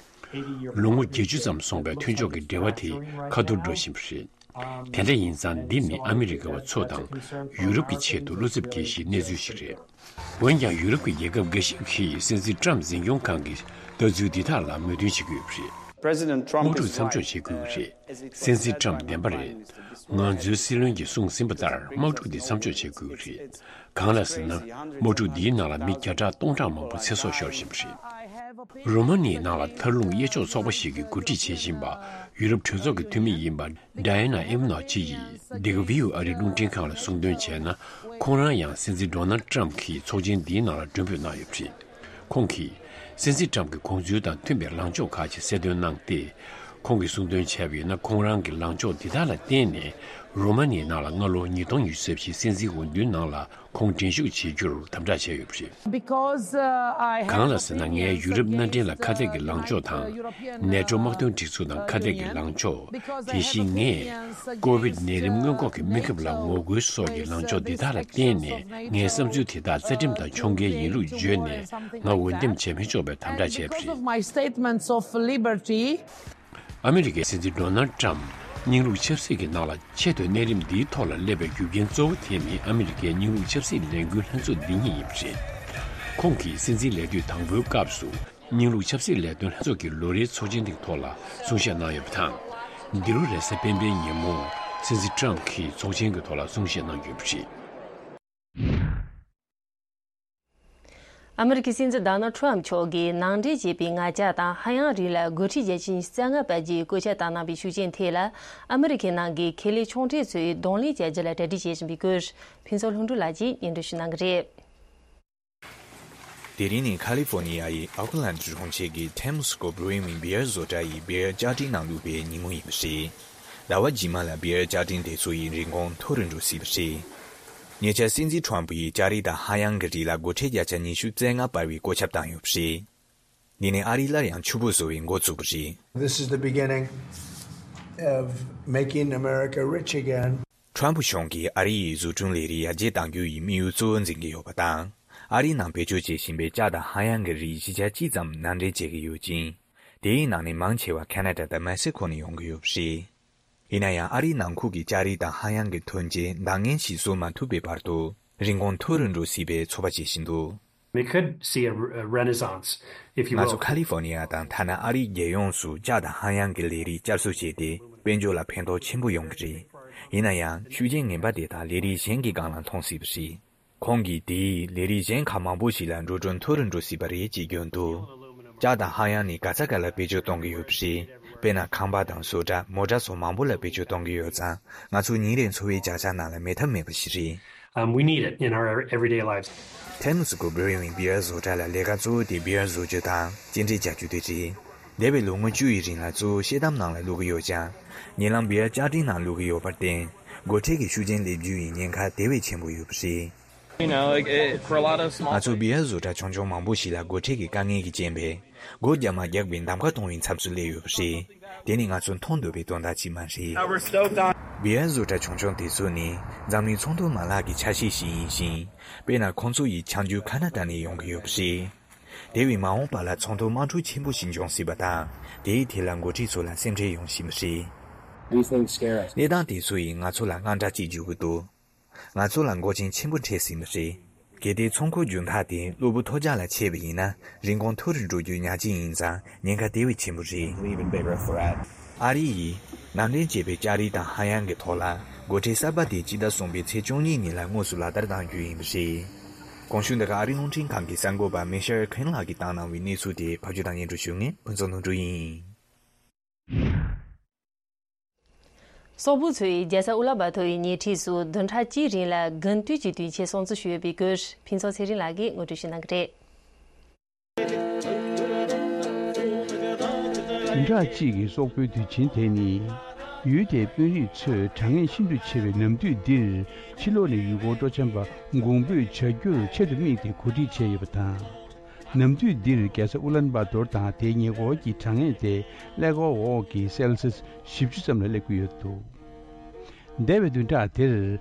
ལོ་ངོ་བརྒྱད་ཅུ་ཙམ་སོང་བའི་མཐུན་ཕྱོགས་ཀྱི་འབྲེལ་བ་དེ་ཁ་ཐོར་འགྲོ་བཞིན་པ་རེད། དེ་འདྲ་ཡིན་ཙང་འདི་ནི་ཨ་མི་རི་ཀ་བ་ཚོ་དང་ཡུ་རོབ་ཀྱི་ཆེད་དུ་བློ་འཚབ་སྐྱེ་གཞིའི་གནས་ཚུལ་ཞིག་རེད། འོན་ཀྱང་ཡུ་རོབ་ཀྱི་རྒྱལ་ཁབ་འགའ་ཞིག་གིས་སྲིད་འཛིན་ཊམ་འཛིན་སྐྱོང་ཁང་གི་ལྟ་ཚུལ་འདི་དག་ལ་མོས་མཐུན་བྱེད་ཀྱི་ཡོད་པ་རེད། President Trump དམག་འཁྲུག་མཚམས་འཇོག་བྱེད་དགོས་ཀྱི་རེད། སྲིད་འཛིན་ཊམ་བདེན་པ་རེད། ང་ཚོའི་སྲིད་བློན་གྱིས་གསུངས་ཟིན་པ་ལྟར་དམག་འཁྲུག་འདི་མཚམས་འཇོག་བྱེད་དགོས་ཀྱི་རེད། གང་ལ་ཟེར་ན། དམག་འཁྲུག་འདིའི་ནང་ལ་མི་བརྒྱ་ཕྲག་སྟོང་ཕྲག་མང་པོ་ཚེ་སྲོག་ཤོར་བཞིན་པ་རེད། རོ་མ་ནི་ཡའི་ནང་ལ་མཐར་ལྷུང་གཡས་ཕྱོགས་ཚོགས་པ་ཞིག་གིས་འགོ་ཁྲིད་བྱེད་བཞིན་པ་ཡུ་རོབ་གྲོས་ཚོགས་ཀྱི་འཐུས་མི་ཡིན་པ་ཌའི་ཨ་ན་ཨིབ་ནོ་ཅི་ཡིས་འདི་ག་བི་ཡུ་ཨ་རིའི་རླུང་འཕྲིན་ཁང་ལ་གསུངས་དོན་བྱས་ན། ཁོང་རང་ཡང་སྲིད་འཛིན་ཌོ་ནལ་ཌི་ཊམ་གྱིས་ཚོགས་ཆེན་འདིའི་ནང་ལ་མགྲོན་འབོད་གནང་ཡོད་པ་རེད། ཁོང་གིས་སྲིད་འཛིན་ཊམ་གྱི་དགོངས་ཚུལ་དང་མཐུན་པའི་ལངས་ཕྱོགས་ཁག་ཅིག་གསལ་སྟོན་གནང་སྟེ། ཁོང་གིས་གསུངས་དོན་བྱས་པ་ཡིན་ན། ཁོང་རང་གི་ལངས་ཕྱོགས་འདི་དག་ལ་བརྟེན་ནས་རོ་མ་ནི་ཡའི་ནང་ལ་སྔ་ལོ་ཉིས་སྟོང་ཉི་ཤུ་རྩ་བཞིའི་སྲིད་འཛིན་འོས་བསྡུའི་ནང་ལ་ཁོང་འགྲན་ཞུགས་བྱེད་རྒྱུར་དམ་དྲག་བྱས་ཡོད་པ་རེད། Because, uh, I have གང་ལ་ཟེར་ན། ངས་ཡུ་རོབ་མནའ་འབྲེལ་ལ་ཁ་གཏད་ཀྱི་ལངས་ཕྱོགས་དང་། ནེ་ཊོ་དམག་དོན་སྒྲིག་འཛུགས་དང་ཁ་གཏད་ཀྱི་ལངས་ཕྱོགས། དེ་བཞིན་ངས་ཀོ་བིད་ནད་རིམས་སྔོན་འགོག་གི་སྨན་ཁབ་ལ་ངོ་རྒོལ་སོགས་ཀྱི་ལངས་ཕྱོགས་འདི་དག་ལ་བརྟེན་ནས། ངའི་བསམ་ཚུལ་དེ་དག་རྩ་ཁྲིམས་དང་ཕྱོགས་འགལ་ཡིན་ལུགས་བརྗོད་ནས། ང་འོས་འདེམས་བྱེད་མི་ཆོག་པའི་དམ་དྲག་བྱས་པ་རེད། Because of my statements of liberty. ཨ་མི་རི་ཀའི་སྲིད་འཛིན་ཌོ་ནལ་ཌི་ཊམ་རྙིང་ལུགས་ཆབ་སྲིད་ཀྱི་ནང་ལ་ཆེད་དུ་གནས་རིམ་འདིའི་ཐོག་ལ་སླེབས་པའི་རྒྱུ་རྐྱེན་གཙོ་བོ་དེ་ནི་ཨ་མི་རི་ཀའི་རྙིང་ལུགས་ཆབ་སྲིད་ལས་འགུལ་ལྷན་ཚོགས་འདི་ཉིད་ཡིན་པ་རེད། ཁོང་གིས་སྲིད་འཛིན་ལས་དུས་དང་པོའི་སྐབས་སུ་རྙིང་ལུགས་ཆབ་སྲིད་ལས་དོན་ལྷན་ཚོགས་ཀྱི་ལོ་རེའི་ཚོགས་ཆེན་དེའི་ཐོག་ལ་གསུང་བཤད་གནང་ཡོད་པ་དང་། འདི་ལོ་རེས་གཟའ་སྤེན་པའི་ཉིན་མོ་སྲིད་འཛིན་ཊམ་གྱིས་ཚོགས་ཆེན་གྱི་ཐོག་ལ་གསུང་བཤད་གནང་ཡོད་པ་རེད། ཨ་མི་རི་ཀའི་སྲིད་འཛིན་ཌོ་ནལ་ཌི་ཊམ་མཆོག་གིས་ནང་འདྲེན་བྱས་པའི་ང་ཅག་དང་ཧ་ཡང་རི་ལ་འགོ་ཁྲིད་རྒྱལ་ཆེན་རྩ་ལྔ་པ་བརྒྱུད་བཀོད་ཁྱབ་བཏང་གནང་བའི་ཤུགས་རྐྱེན་ཐད་ལ། ཨ་མི་རི་ཁའི་ནང་གི་ཁེ་ལས་ཆུང་གྲས་ཚོས་གདོང་ལེན་བྱ་རྒྱུ་ལ་གྲ་སྒྲིག་བྱེད་བཞིན་པའི་སྐོར། ཕུན་ཚོགས་ལྷུན་གྲུབ་ལགས་ཀྱིས་སྙན་སྒྲོན་ཞུ་གནང་གི་རེད། དེ་རིང་ནི་ཁ་ལི་ཧྥོ་ནི་ཡའི་ཨོ་ཁི་ལན་གྲོང་ཁྱེར་གྱི་ཐེམ་སི་ཀོ་བྷི་རུ་ཝིང་བི་ཡར་བཟོ་གྲྭ་ཡི་བི་ཡར་བཅའ་སྒྲིག་ནང་བླུགས་པའི་ཉིན་མོ་ཡིན་པ་རེད། ཟླ་བ་རྗེས་མ་ལ་བི་ཡར་བཅའ་སྒྲིག་དེ་ཚོ་ཡི་རིན་གོང་མཐོ་རུ་འགྲོ་སྲིད་པ་རེད། ཉེ་ཆར་སྲིད་འཛིན་ཁྲོམ་ཕུ་ཡིས་ལྕགས་རི་དང་ཧ་ཡང་གི་རི་ལ་སྒོ་ཁྲལ་བརྒྱ་ཆ་ཉི་ཤུ་རྩ་ལྔ་སྤར་བའི་བཀོད་ཁྱབ་བཏང་ཡོད་པ་རེད། འདི་ནི་ཨ་རི་སླར་ཡང་ཕྱུག་པོ་བཟོ་བའི་འགོ་བཙུགས་པ་རེད། This is the beginning of making America rich again. ཁྲོམ་ཕུ་གཞུང་གིས་ཨ་རི་ཡི་བཟོ་སྐྲུན་ལས་རིགས་ཡར་རྒྱས་གཏང་རྒྱུ་ཡི་དམིགས་ཡུལ་གཙོ་བོ་འཛིན་གྱི་ཡོད་པ་དང་། ཨ་རིའི་ནང་བེད་སྤྱོད་བྱེད་བཞིན་པའི་ལྕགས་དང་ཧ་ཡང་གི་རིགས་བཞི་ཆ་གཅིག་ཙམ་ནང་འདྲེན་བྱེད་ཀྱི་ཡོད་ཅིང་། དེའི་ནང་ནས་མང་ཆེ་བ་ཁ་ན་ཌ་དང་མེག་སི་ཁོ་ནས་ཡོང་གི་ཡོད་པ་རེད། ཡིན་ན་ཡང་ཨ་རིའི་ནང་ཁུལ་གྱི་ལྕགས་རིགས་དང་ཧ་ཡང་གི་ཐོན་སྐྱེད་འདང་ངེས་ཤིག་བཟོ་མ་ཐུབ་པའི་བར་དུ། རིན་གོང་མཐོ་རུ་འགྲོ་སྲིད་པའི་ཚོད་དཔག་བྱེད་བཞིན་འདུག We could see a, a renaissance, if you ང་ཚོ་will. ཁ་ལི་ཧྥོ་ནི་ཡ་དང་ཐ་ན་ཨ་རིའི་རྒྱལ་ཡོངས་སུ་ལྕགས་དང་ཧ་ཡང་གི་ལས་རིགས་བསྐྱར་གསོ་བྱས་ཏེ། དཔལ་འབྱོར་ལ་ཕན་ཐོགས་ཆེན་པོ་ཡོང་གི་རེད། ཡིན་ན་ཡང་ཤུགས་རྐྱེན་ངན་པ་དེ་དག་ལས་རིགས་གཞན་གྱི་སྒང་ལ་མཐོང་སྲིད་པ་རེད། ཁོང་གིས་དེས་ལས་རིགས་གཞན་ཁག་མང་པོ་ཞིག་ལ་འགྲོ་གྲོན་མཐོ་རུ་འགྲོ་སྲིད་པ་རེད་ཅེས་བརྗོད་འདུག་ལྕགས་དང་ཧ་ཡང་ནི་ག་ས་ག་ལ་བེད་སྤྱོད་གཏོང་གི་ཡོད་པ་རེད། དཔེར་ན་ཁང་པ་དང་བཟོ་གྲྭ། མོ་ཊ་སོགས་མང་པོ་ལ་བེད་སྤྱོད་གཏོང་གི་ཡོད་ཙང་། ང་ཚོ་ཉིན་རེའི་འཚོ་བའི་བྱ་གཞག་ནང་ལ་མེད་ཐབས་མེད་པ་ཞིག་རེད། Um, we need it in our everyday lives. ཐེམ་སི་ཀོ་བྷི་རུ་ཝིང་བི་ཡར་བཟོ་གྲྭ་ལ་ལས་ཀ་གཙོ་བོ་དེ་བི་ཡར་བཟོ་རྒྱུ་དང་སྐྱེལ་འདྲེན་བྱ་རྒྱུ་དེ་རེད། འདས་པའི་ལོ་ངོ་བཅུ་ཡི་རིང་ལ་གཙོ་བོ་ཤེལ་དམ་ནང་ལ་བླུག་གི་ཡོད་ཀྱང་། ཉེ་ལམ་བི་ཡར་བཅའ་སྒྲིག་ནང་བླུག་གི་ཡོད་པར་བརྟེན། སྒོ་ཁྲལ་གྱི་ཤུགས་རྐྱེན་སླེབས་རྒྱུ་ཡི་ཉེན་ཁ་དེ་བས་ཆེན་པོ་ཡོད་པ་རེད། You know, like, it, for a lot of small ང་ཚོ་བི་ཡར་བཟོ་གྲྭ་ཆུང་ཆུང་མང་པོ་ཞིག་ལ་སྒོ་ཁྲལ་གྱི་དཀའ་ངལ་གྱི་རྐྱེན་པས། སྒོ་རྒྱག་མ་རྒྱག་པའི་གདམ་ག་གཏོང་བའི་མཚམས་སུ་སླེབས་ཡོད་པ་རེད། དེ་ནི་ང་ཚོ་མཐོང་འདོད་པའི་དོན་དག་ཅིག་མ་རེད། Now we're stoked on བི་ཡར་བཟོ་གྲྭ་ཆུང་ཆུང་དེ་ཚོ་ནི་འཛམ་གླིང་ཚོང་དོན་མ་ལག་གི་ཆ་ཤས་ཤིག་ཡིན་ཞིང་། དཔེར་ན་ཁོང་ཚོ་ཡི་ཆང་རྒྱུན་ཁ་ན་ཌ་ནས་ཡོང་གི་ཡོད་པ་རེད། དེ་བས་མ་འོངས་པ་ལ་ཚོང་དོན་དམག་འཁྲུག་ཆེན་པོ་ཞིག་འབྱུང་སྲིད་པ་དང་། དེའི་ཐད་ལ་འགོ་ཁྲིད་ཚོ་ལ་སེམས་ཁྲལ་ཡོང་བཞིན་པ་རེད། These things scare us. གནས་སྟངས་དེ་ཚོ་ཡིས་ང་ཚོ་ལ་དངངས་སྐྲག་སྐྱེ་འཇུག་གི་འདུག་ང་ཚོ་ལ་མགོ་ཅན་ཆེན་པོ་འཕྲད་ཟིན་པ་རེད། གལ་ཏེ་ཚོང་ཁུལ་རྒྱུན་ཐག་དེ་གློ་བུར་ཐོལ་རྒྱག་ལ་ཆད་པ་ཡིན་ན། རིན་གོང་མཐོ་རུ་འགྲོ་རྒྱུ་ཉག་གཅིག་ཡིན་ཙང་ཉེན་ཁ་དེ་བས་ཆེན་པོ་རེད། An even bigger threat. ཨ་རི་ཡིས་ནང་འདྲེན་བྱས་པའི་ལྕགས་རིགས་དང་ཧ་ཡང་གི་ཐོག་ལ་སྒོ་ཁྲལ་གསར་པ་དེ་སྤྱི་ཟླ་གསུམ་པའི་ཚེས་བཅུ་གཉིས་ཉིན་ལ་དངོས་སུ་ལག་བསྟར་གཏང་རྒྱུ་ཡིན་པ་རེད། གོང་ཞུས་འདི་ག་ཨ་རིའི་རླུང་འཕྲིན་ཁང་གི་གསར་འགོད་པ་མེ་ཤར་ཁེན་ལགས་ཀྱིས་བཏང་གནང་བའི་གནས་ཚུལ་དེ་ཕབ་སྒྱུར་དང་སྙན་སྒྲོན་ཞུ་མཁན་ཕུན་ཚོགས་ལྷུན་གྲུབ་ཡིན། སོག་པོ་ཚོས་རྒྱལ་ས་ཨུ་ལན་བྷ་ཐོར་ཡི་ཉེ་འཁྲིས་སུ་བདུན་ཕྲག་གཅིག་རིང་ལ་དགུན་དུས་ཀྱི་དུས་ཆེན་སྲུང་བརྩི་ཞུས་ཡོད་པའི་སྐོར་ཕུན་ཚོགས་ཚེ་རིང་ལགས་ཀྱིས་ངོ་སྤྲོད་ཞུ་གནང་གི་རེད། བདུན་ཕྲག་གཅིག་གི་སོག་པོའི་དུས་ཆེན་དེ་ནི། ཡུལ་དེའི་དཔོན་རིགས་ཚོས་གྲང་ངར་ཤིན་ཏུ་ཆེ་བའི་ནམ་དུས་འདིར་ཕྱི་ལོགས་ནས་ཡུལ་སྐོར་སྤྲོ་འཆམ་པ་གོང་འབོད་བྱ་རྒྱུར་ཆེད་དུ་དམིགས་ཏེ་གོ་སྒྲིག་བྱས་ཡོད་པ་དང་། ནམ་དུས་འདིར་རྒྱལ་ས་ཨུ་ལན་བྷ་ཏོར་དང་དེའི་ཉེ་འཁོར་གྱི་གྲང་ངར་དེ་ཀླད་ཀོར་འོག་གི་སེལ་སིས་བཞི་བཅུ་ཙམ་ལ་སླེབས་ཀྱི་ཡོད་འདུག་འདས་པའི་བདུན་ཕྲག་དེར་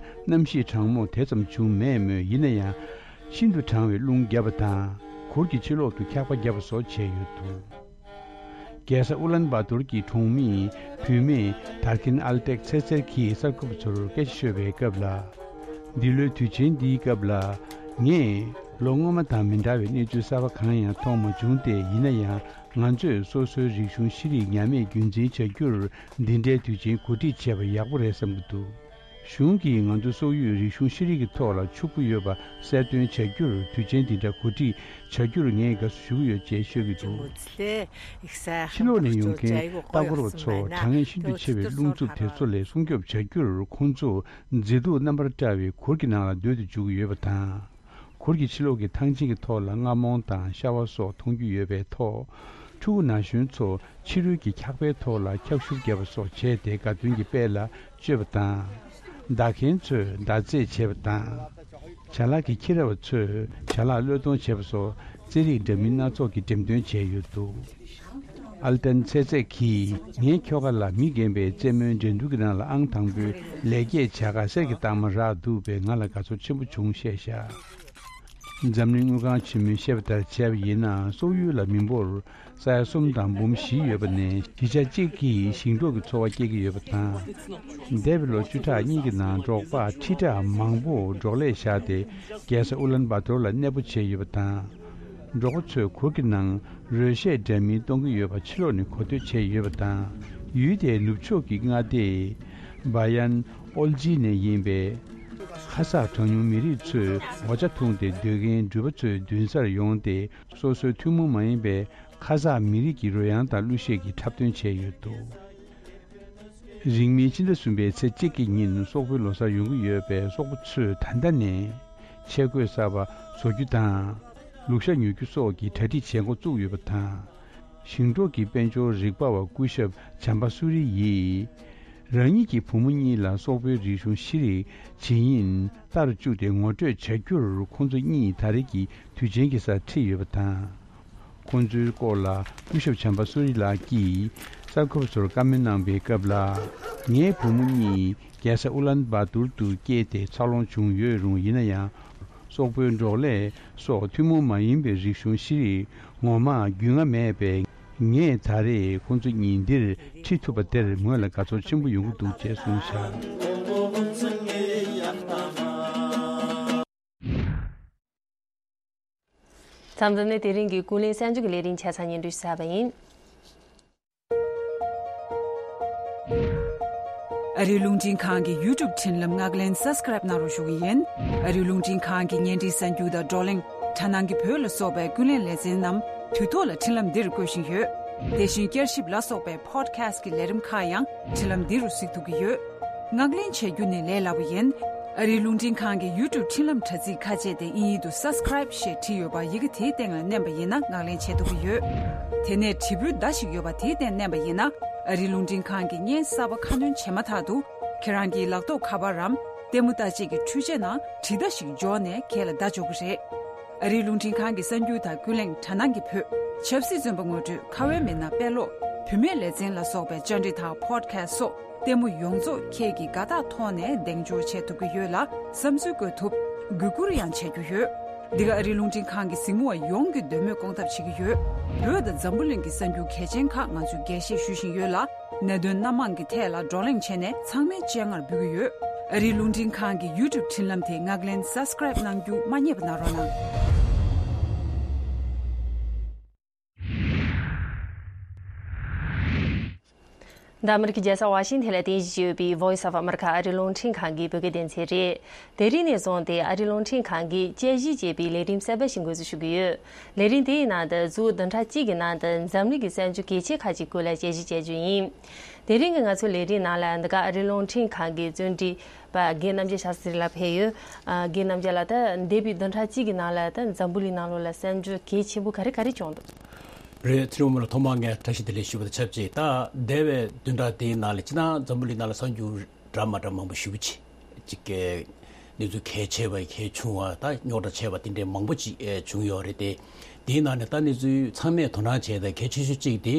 གནམ་གཤིས་གྲང་མོ་དེ་ཙམ་བྱུང་མེད་མོད། ཡིན་ན་ཡང་ཤིན་ཏུ་གྲང་བའི་རླུང་བརྒྱབ་པ་དང་གུར་གྱི་ཕྱི་ལོགས་སུ་འཁྱག་པ་བརྒྱབ་པ་སོགས་བྱས་ཡོད་འདུག་རྒྱལ་ས་ཨུ་ལན་བྷ་ཏོར་གྱི་གྲོང་མི་བུད་མེད་དར་ཁིན་ཨལ་ཏེག་ཚེ་ཚེར་གྱིས་གསར་འགོད་པ་ཚོར་སྐད་ཆ་ཤོད་པའི་སྐབས་ལ། འདི་ལོའི་དུས་ཆེན་འདིའི་སྐབས་ལ། ངས་ལོ་སྔོན་མ་དང་མི་འདྲ་བའི་གནས་ཚུལ་གསར་པ་གང་ཡང་མཐོང་མ་བྱུང་སྟེ། ཡིན་ན་ཡང་ང་ཚོས་སོ་སོའི་རིག་གཞུང་ཤེས་རིག་ཉམས་དམས་རྒྱུན་འཛིན་བྱ་རྒྱུར་འདི་འདྲའི་དུས་ཆེན་གོ་སྒྲིག་བྱས་པ་ཡག་པོ་རེད་བསམ་གྱི་འདུག་གཞུང་གིས་ང་ཚོ་སོག་ཡུལ་རིག་གཞུང་ཤེས་རིག་གི་ཐོག་ལ་ཕྱུག་པོ་ཡོད་པ་གསལ་སྟོན་བྱ་རྒྱུར་དུས་ཆེན་འདི་འདྲ་གོ་སྒྲིག་བྱ་རྒྱུར་ངས་དགའ་བསུ་ཞུ་གི་ཡོད་ཅེས་ཤོད་ཀྱི་འདུག་ཕྱི་ལོགས་ནས་ཡོང་མཁན་ལྟ་སྐོར་བ་ཚོ་གྲང་ངར་ཤིན་ཏུ་ཆེ་བའི་རླུང་འཚུབ་དེ་ཚོ་ལས་སྲུང་སྐྱོབ་བྱ་རྒྱུར། ཁོང་ཚོ་མཛེས་སྡུག་རྣམ་པར་བཀྲ་བའི་གུར་གྱི་ནང་ལ་སྡོད་དུ་འཇུག་གི་ཡོད་པ་དང་། གུར་གྱི་ཕྱི་ལོགས་ཀྱི་ཐང་ཆེན་གྱི་ཐོག་ལ་རྔ་མོང་དང་ཤ་བ་སོགས་མཐོང་རྒྱུ་ཡོད་པའི་ཐོག་ཕྲུ་གུ་ན་གཞོན་ཚོ་ཕྱི་རོལ་གྱི་འཁྱག་པའི་ཐོག་ལ་འཁྱག་ཤུབས་བརྒྱབ་པ་སོགས་བྱས་ཏེ་དགའ་སྟོན་གྱི་དཔལ་ལ་སྤྱོད་པ་དང་། མདའ་མཁན་ཚོས་མདའ་རྩེད་བྱེད་པ་དང་། ཅ་ལག་གི་ཁྱི་ར་བ་ཚོས་ཅ་ལག་བློས་གཏོང་བྱེད་པ་སོགས་རྩེད་རིགས་འདྲ་མིན་སྣ་ཚོགས་ཀྱི་འགྲེམས་སྟོན་བྱས་ཡོད་འདུག་ཨལ་ཏན་ཚེ་ཚེ་གིས། ངའི་ཁྱོ་ག་ལ་མི་རྒན་པའི་རྩེད་མོའི་འགྲན་བསྡུར་གྱི་ནང་ལ་ཨང་དང་པོའི་ལེགས་སྐྱེས་བྱ་དགའ་གསེར་གྱི་རྟགས་མ་རག་འདུག་པས་ང་ལ་དགའ་ཚོར་ཆེན་པོ་བྱུང་བཤད་བཞག་འཛམ་གླིང་དངུལ་ཁང་ཆེན་མོས་བཤད་པ་ལྟར་བྱས་པ་ཡིན་ན། སོག་ཡུལ་ལ་མི་འབོར་ས་ཡ་གསུམ་དང་འབུམ་བཞི་ཡོད་པ་ནས། བཞི་ཆ་གཅིག་གིས་ཞིང་འབྲོག་གི་འཚོ་བ་སྐྱེལ་གྱི་ཡོད་པ་དང་། འདས་པའི་ལོ་བཅུ་ཕྲག་གཉིས་ཀྱི་ནང་འབྲོག་པ་ཁྲི་ཕྲག་མང་པོ་འབྲོག་ལས་བཞག་སྟེ་རྒྱལ་ས་ཨུ་ལན་བྷ་ཏོར་ལ་གནས་སྤོ་བྱས་ཡོད་པ་དང་། འབྲོག་པ་ཚོས་གུར་གྱི་ནང་རོལ་གཞས་འདྲ་མིན་གཏོང་གི་ཡོད་པ་ཕྱི་ལོགས་ནས་གོ་ཐོས་བྱས་ཡོད་པ་དང་། ཡུལ་དེའི་ནུབ་ཕྱོགས་ཀྱི་མངའ་སྡེ་བ་ཡན་ཨོལ་ཇི་ནས་ཡིན་པའི་ཁ་ས་གྲངས་ཉུང་མི་རིགས་ཚོས་འོ་ཇ་འཐུང་སྟེ་སྡོད་མཁན་འགྲུལ་པ་ཚོའི་མདུན་སར་ཡོང་སྟེ། སོ་སོའི་ཐུན་མོང་མ་ཡིན་པའི་ཁ་ས་མི་རིགས་ཀྱི་རོལ་དབྱངས་དང་གླུ་གཞས་ཀྱི་འཁྲབ་སྟོན་བྱས་ཡོད་འདུག་རིང་མིན་ཕྱི་ཟླ་གསུམ་པའི་ཚེས་གཅིག་གི་ཉིན་སོག་པོའི་ལོ་གསར་ཡོང་གི་ཡོད་པས། སོག་པོ་ཚོས་ད་ལྟ་ནས་ཆས་གོས་གསར་པ་བཟོ་རྒྱུ་དང་། ལུག་ཤ་ཉོ་རྒྱུ་སོགས་ཀྱི་གྲ་སྒྲིག་བྱེད་འགོ་བཙུགས་ཡོད་པ་དང་། ཞིང་འབྲོག་གི་དཔལ་འབྱོར་རིག་པ་བ་སྐུ་ཞབས་བྱམས་པ་སུ་རི་ཡིས། རང་ཉིད་ཀྱི་བུ་མོ་གཉིས་ལ་སོག་པོའི་རིག་གཞུང་ཤེས་རིག་ཇི་ཡིན་ལྟར་བཅུག་སྟེ་ངོ་སྤྲོད་བྱ་རྒྱུར། ཁོང་ཚོ་གཉིས་ད་རེས་ཀྱི་དུས་ཆེན་གྱི་སར་ཁྲིད་ཡོད་པ་དང་། ཁོང་ཚོའི་སྐོར་ལ་སྐུ་ཞབས་བྱམས་པ་སུ་རི་ལགས་ཀྱིས་གསར་འགོད་པ་ཚོར་བཀའ་མོལ་གནང་པའི་སྐབས་ལ། ངའི་བུ་མོ་གཉིས་རྒྱལ་ས་ཨུ་ལན་བ་ཏུར་དུ་སྐྱེས་ཏེ་འཚར་ལོངས་བྱུང་ཡོད་རུང་། ཡིན་ན་ཡང་། སོག་པོའི་འབྲོག་ལས་སོགས་ཐུན་མོང་མ་ཡིན་པའི་རིག་གཞུང་ཤེས་རིག་ངོ་མ་རྒྱུས་མངའ་མེད་པས། ངས་ད་རེས་ཁོང་ཚོ་གཉིས་འདིར་ཁྲིད་ཐུབ་པ་དེར་ངོས་ལ་དགའ་ཚོར་ཆེན་པོ་ཡོང་གི་འདུག་ཅེས་གསུངས་བཞག་མཚམས་འདི་ནས་དེ་རིང་གི་ཀུན་གླེང་གསར་འགྱུར་གྱི་ལས་རིམ་ཆ་ཚང་སྙན་སྒྲོན་ཞུ་གནང་བ་ཡིན། ཨ་རིའི་རླུང་འཕྲིན་ཁང་གི་ཡུ་ཊུབ་འཕྲིན་ལམ་ངག་ལེན་སབ་སི་ཀ་རེབ་གནང་རོགས་ཞུ་གི་ཡིན། ཨ་རིའི་རླུང་འཕྲིན་ཁང་གི་བརྙན་འཕྲིན་གསར་འགྱུར་དང་བགྲོ་གླེང་། དྲ་སྣང་གི་བོད་ལ་སོགས་པའི་ཀུན་གླེང་ལེ་ཚན་རྣམས་དུས་ཐོག་ལ་འཕྲིན་ལམ་འདིར་བཀོད་བཞིན་ཡོད། དེ་བཞིན་བསྐྱར་ཞིབ་ལ་སོགས་པའི་པོ་ཌི་ཁ་སི་ཊི་གི་ལས་རིམ་ཁག་ཡང་འཕྲིན་ལམ་འདི་རུ་གཟིགས་ཐུབ་ཀྱི་ཡོད། ངག་ལེན་བྱེད་རྒྱུ་ནི་ལས་སླ་པོ་ཡིན། ཨ་རིའི་རླུང་འཕྲིན་ཁང་གི་ཡུ་ཊུབ་འཕྲིན་ལམ་དྲ་ཚིགས་ཁ་ཕྱེ་སྟེ་དབྱིན་ཡིག་ཏུ་སབ་སི་ཀ་རེབ་ཞེས་བྲིས་ཡོད་པ་ཡི་གེ་དེའི་སྟེང་ལ་མནན་པ་ཡིན་ན་ངག་ལེན་བྱེད་ཐུབ་ཀྱི་ཡོད། དེ་ནས་དྲིལ་བུའི་མདའ་ཞིག་ཡོད་པ་དེའི་སྟེང་མནན་པ་ཡིན་ན། ཨ་རིའི་རླུང་འཕྲིན་ཁང་གི་བརྙན་གསར་པ་ཁ་སྣོན་བྱས་མ་ཐག་ཏུ། ཁྱེད་རང་གི་ལག་ཐོགས་ཁ་པར་རམ། ལྟད་མོ་ལྟ་བྱེད་ཀྱི་འཕྲུལ་ཆས་ནང་དྲིལ་བརྡ་ཞིག་འབྱོར་ནས་ཁྱེད་ལ་བརྡ་འབྱོར་གྱི་རེད། ཨ་རིའི་རླུང་འཕྲིན་ཁང་གི་གསར་འགྱུར་དང་ཀུན་གླེང་དྲ་སྣང་གི་བོད། ཆབ་སྲིད་བཙོན་པ་ངོ་སྤྲོད། ཁ་བའི་མི་སྣ་དཔེ་ཀློག་བུད་མེད་ལེ་ཚན་ལ་སོགས་པའི་བཅར་འདྲི་དང་པོ་ཌི་ཁ་སི་ཊི་སོགས་ལྟད་མོ་ཡོངས་རྫོགས་ཁྱེད་ཀྱིས་དགའ་རྟགས་ཐོག་ནས་གདེང་འཇོག་བྱེད་ཐུབ་ཀྱི་ཡོད་ལ། བསམ་ཚུལ་བཀོད་ཐུབ། གུས་བཀུར་ཡང་བྱེད་རྒྱུ་ཡོད། འདི་ག་ཨ་རིའི་རླུང་འཕྲིན་ཁང་གི་གཟིགས་མོ་བ་ཡོངས་ཀྱི་འདོད་མོས་སྐོང་ཐབས་བྱེད་ཀྱི་ཡོད། བོད་དང་འཛམ་བུ་གླིང་གི་གསར་འགྱུར་གལ་ཆེན་ཁག་ང་ཚོས་རྒྱས་བཤད་ཞུ་བཞིན་ཡོད་ལ། གནད་དོན་སྣ་མང་གི་ཐད་ལ་བགྲོ་གླེང་བྱས་ནས་ཚང་མའི་སྤྱན་སྔར་འབུལ་གྱི་ཡོད། ཨ་རིའི་རླུང་འཕྲིན་ཁང་གི་ཡུ་ཊུབ་འཕྲིན་ལམ་དེ་ངག་ལེན་སབ་སི་ཀ་རེབ་གནང་རྒྱུ་མ་བསྙེལ་བ་གནང་རོགས་གནང་། འདི་ཨ་མི་རི་ཀའི་རྒྱལ་ས་ཝ་ཤིང་ཐན་ལ་རྟེན་གཞི་བྱས་ཡོད་པའི་Voice of America ཨ་རིའི་རླུང་འཕྲིན་ཁང་གི་བོད་སྐད་སྡེ་ཚན་རེད། དེ་རིང་ནས་བཟུང་སྟེ་ཨ་རིའི་རླུང་འཕྲིན་ཁང་གིས་དཔྱད་ཞིབ་བྱས་པའི་ལས་རིམ་གསར་པ་ཞིག་འགོ་འཛུགས་ཞུ་གི་ཡོད། ལས་རིམ་དེའི་ནང་དུ་ཟུར་བདུན་ཕྲག་གཅིག་གི་ནང་དུ་འཛམ་གླིང་གི་གསར་འགྱུར་གལ་ཆེ་ཁག་ཅིག་སྐོར་ལ་དཔྱད་ཞིབ་བྱ་རྒྱུ་ཡིན། དེ་རིང་གི་ང་ཚོའི་ལས་རིམ་ནང་ལ་འདི་ག་ཨ་རིའི་རླུང་འཕྲིན་ཁང་གི་བརྩོན་འགྲུས་པ་རྒན་རྣམ་རྒྱལ་ཤཱ་སྟྲི་ལགས་ཕེབས་ཡོད། ཨ། རྒན་རྣམ་རྒྱལ་ལགས། ད་འདས་པའི་བདུན་ཕྲག་གཅིག་གི་ནང་ལ་ད་འཛམ་བུ་གླིང་ནང་ལོགས་ལ་གསར་འགྱུར་གལ་ཆེན་པོ་ག་རེ་ག་རེ་བྱུང་འདུག་རེད། ཚེ་རིང་མོ་ལགས། ཐོག་མར་ངས་བཀྲ་ཤིས་བདེ་ལེགས་ཞུ་བ་དང་ཆབས་ཅིག་ད་འདས་པའི་བདུན་ཕྲག་དེའི་ནང་ལ་སྤྱིར་བཏང་འཛམ་བུ་གླིང་ནང་ལ་གསར་འགྱུར་འདྲ་མ་འདྲ་མང་པོ་ཞེ་པོ་ཅིག་ཅིག་གི་གནས་ཚུལ་གལ་ཆེ་བ་གལ་ཆུང་བ་ད་རྙོག་དྲ་ཆེ་བ་དེ་འདྲའི་མང་པོ་ཅིག་ཨེ་བྱུང་ཡོད་རེད་དེ། དེའི་ནང་ནས་ད་གནས་ཚུལ་ཚང་མས་དོ་སྣང་བྱས་ཏེ་གལ་ཆེ་ཤོས་གཅིག་དེ་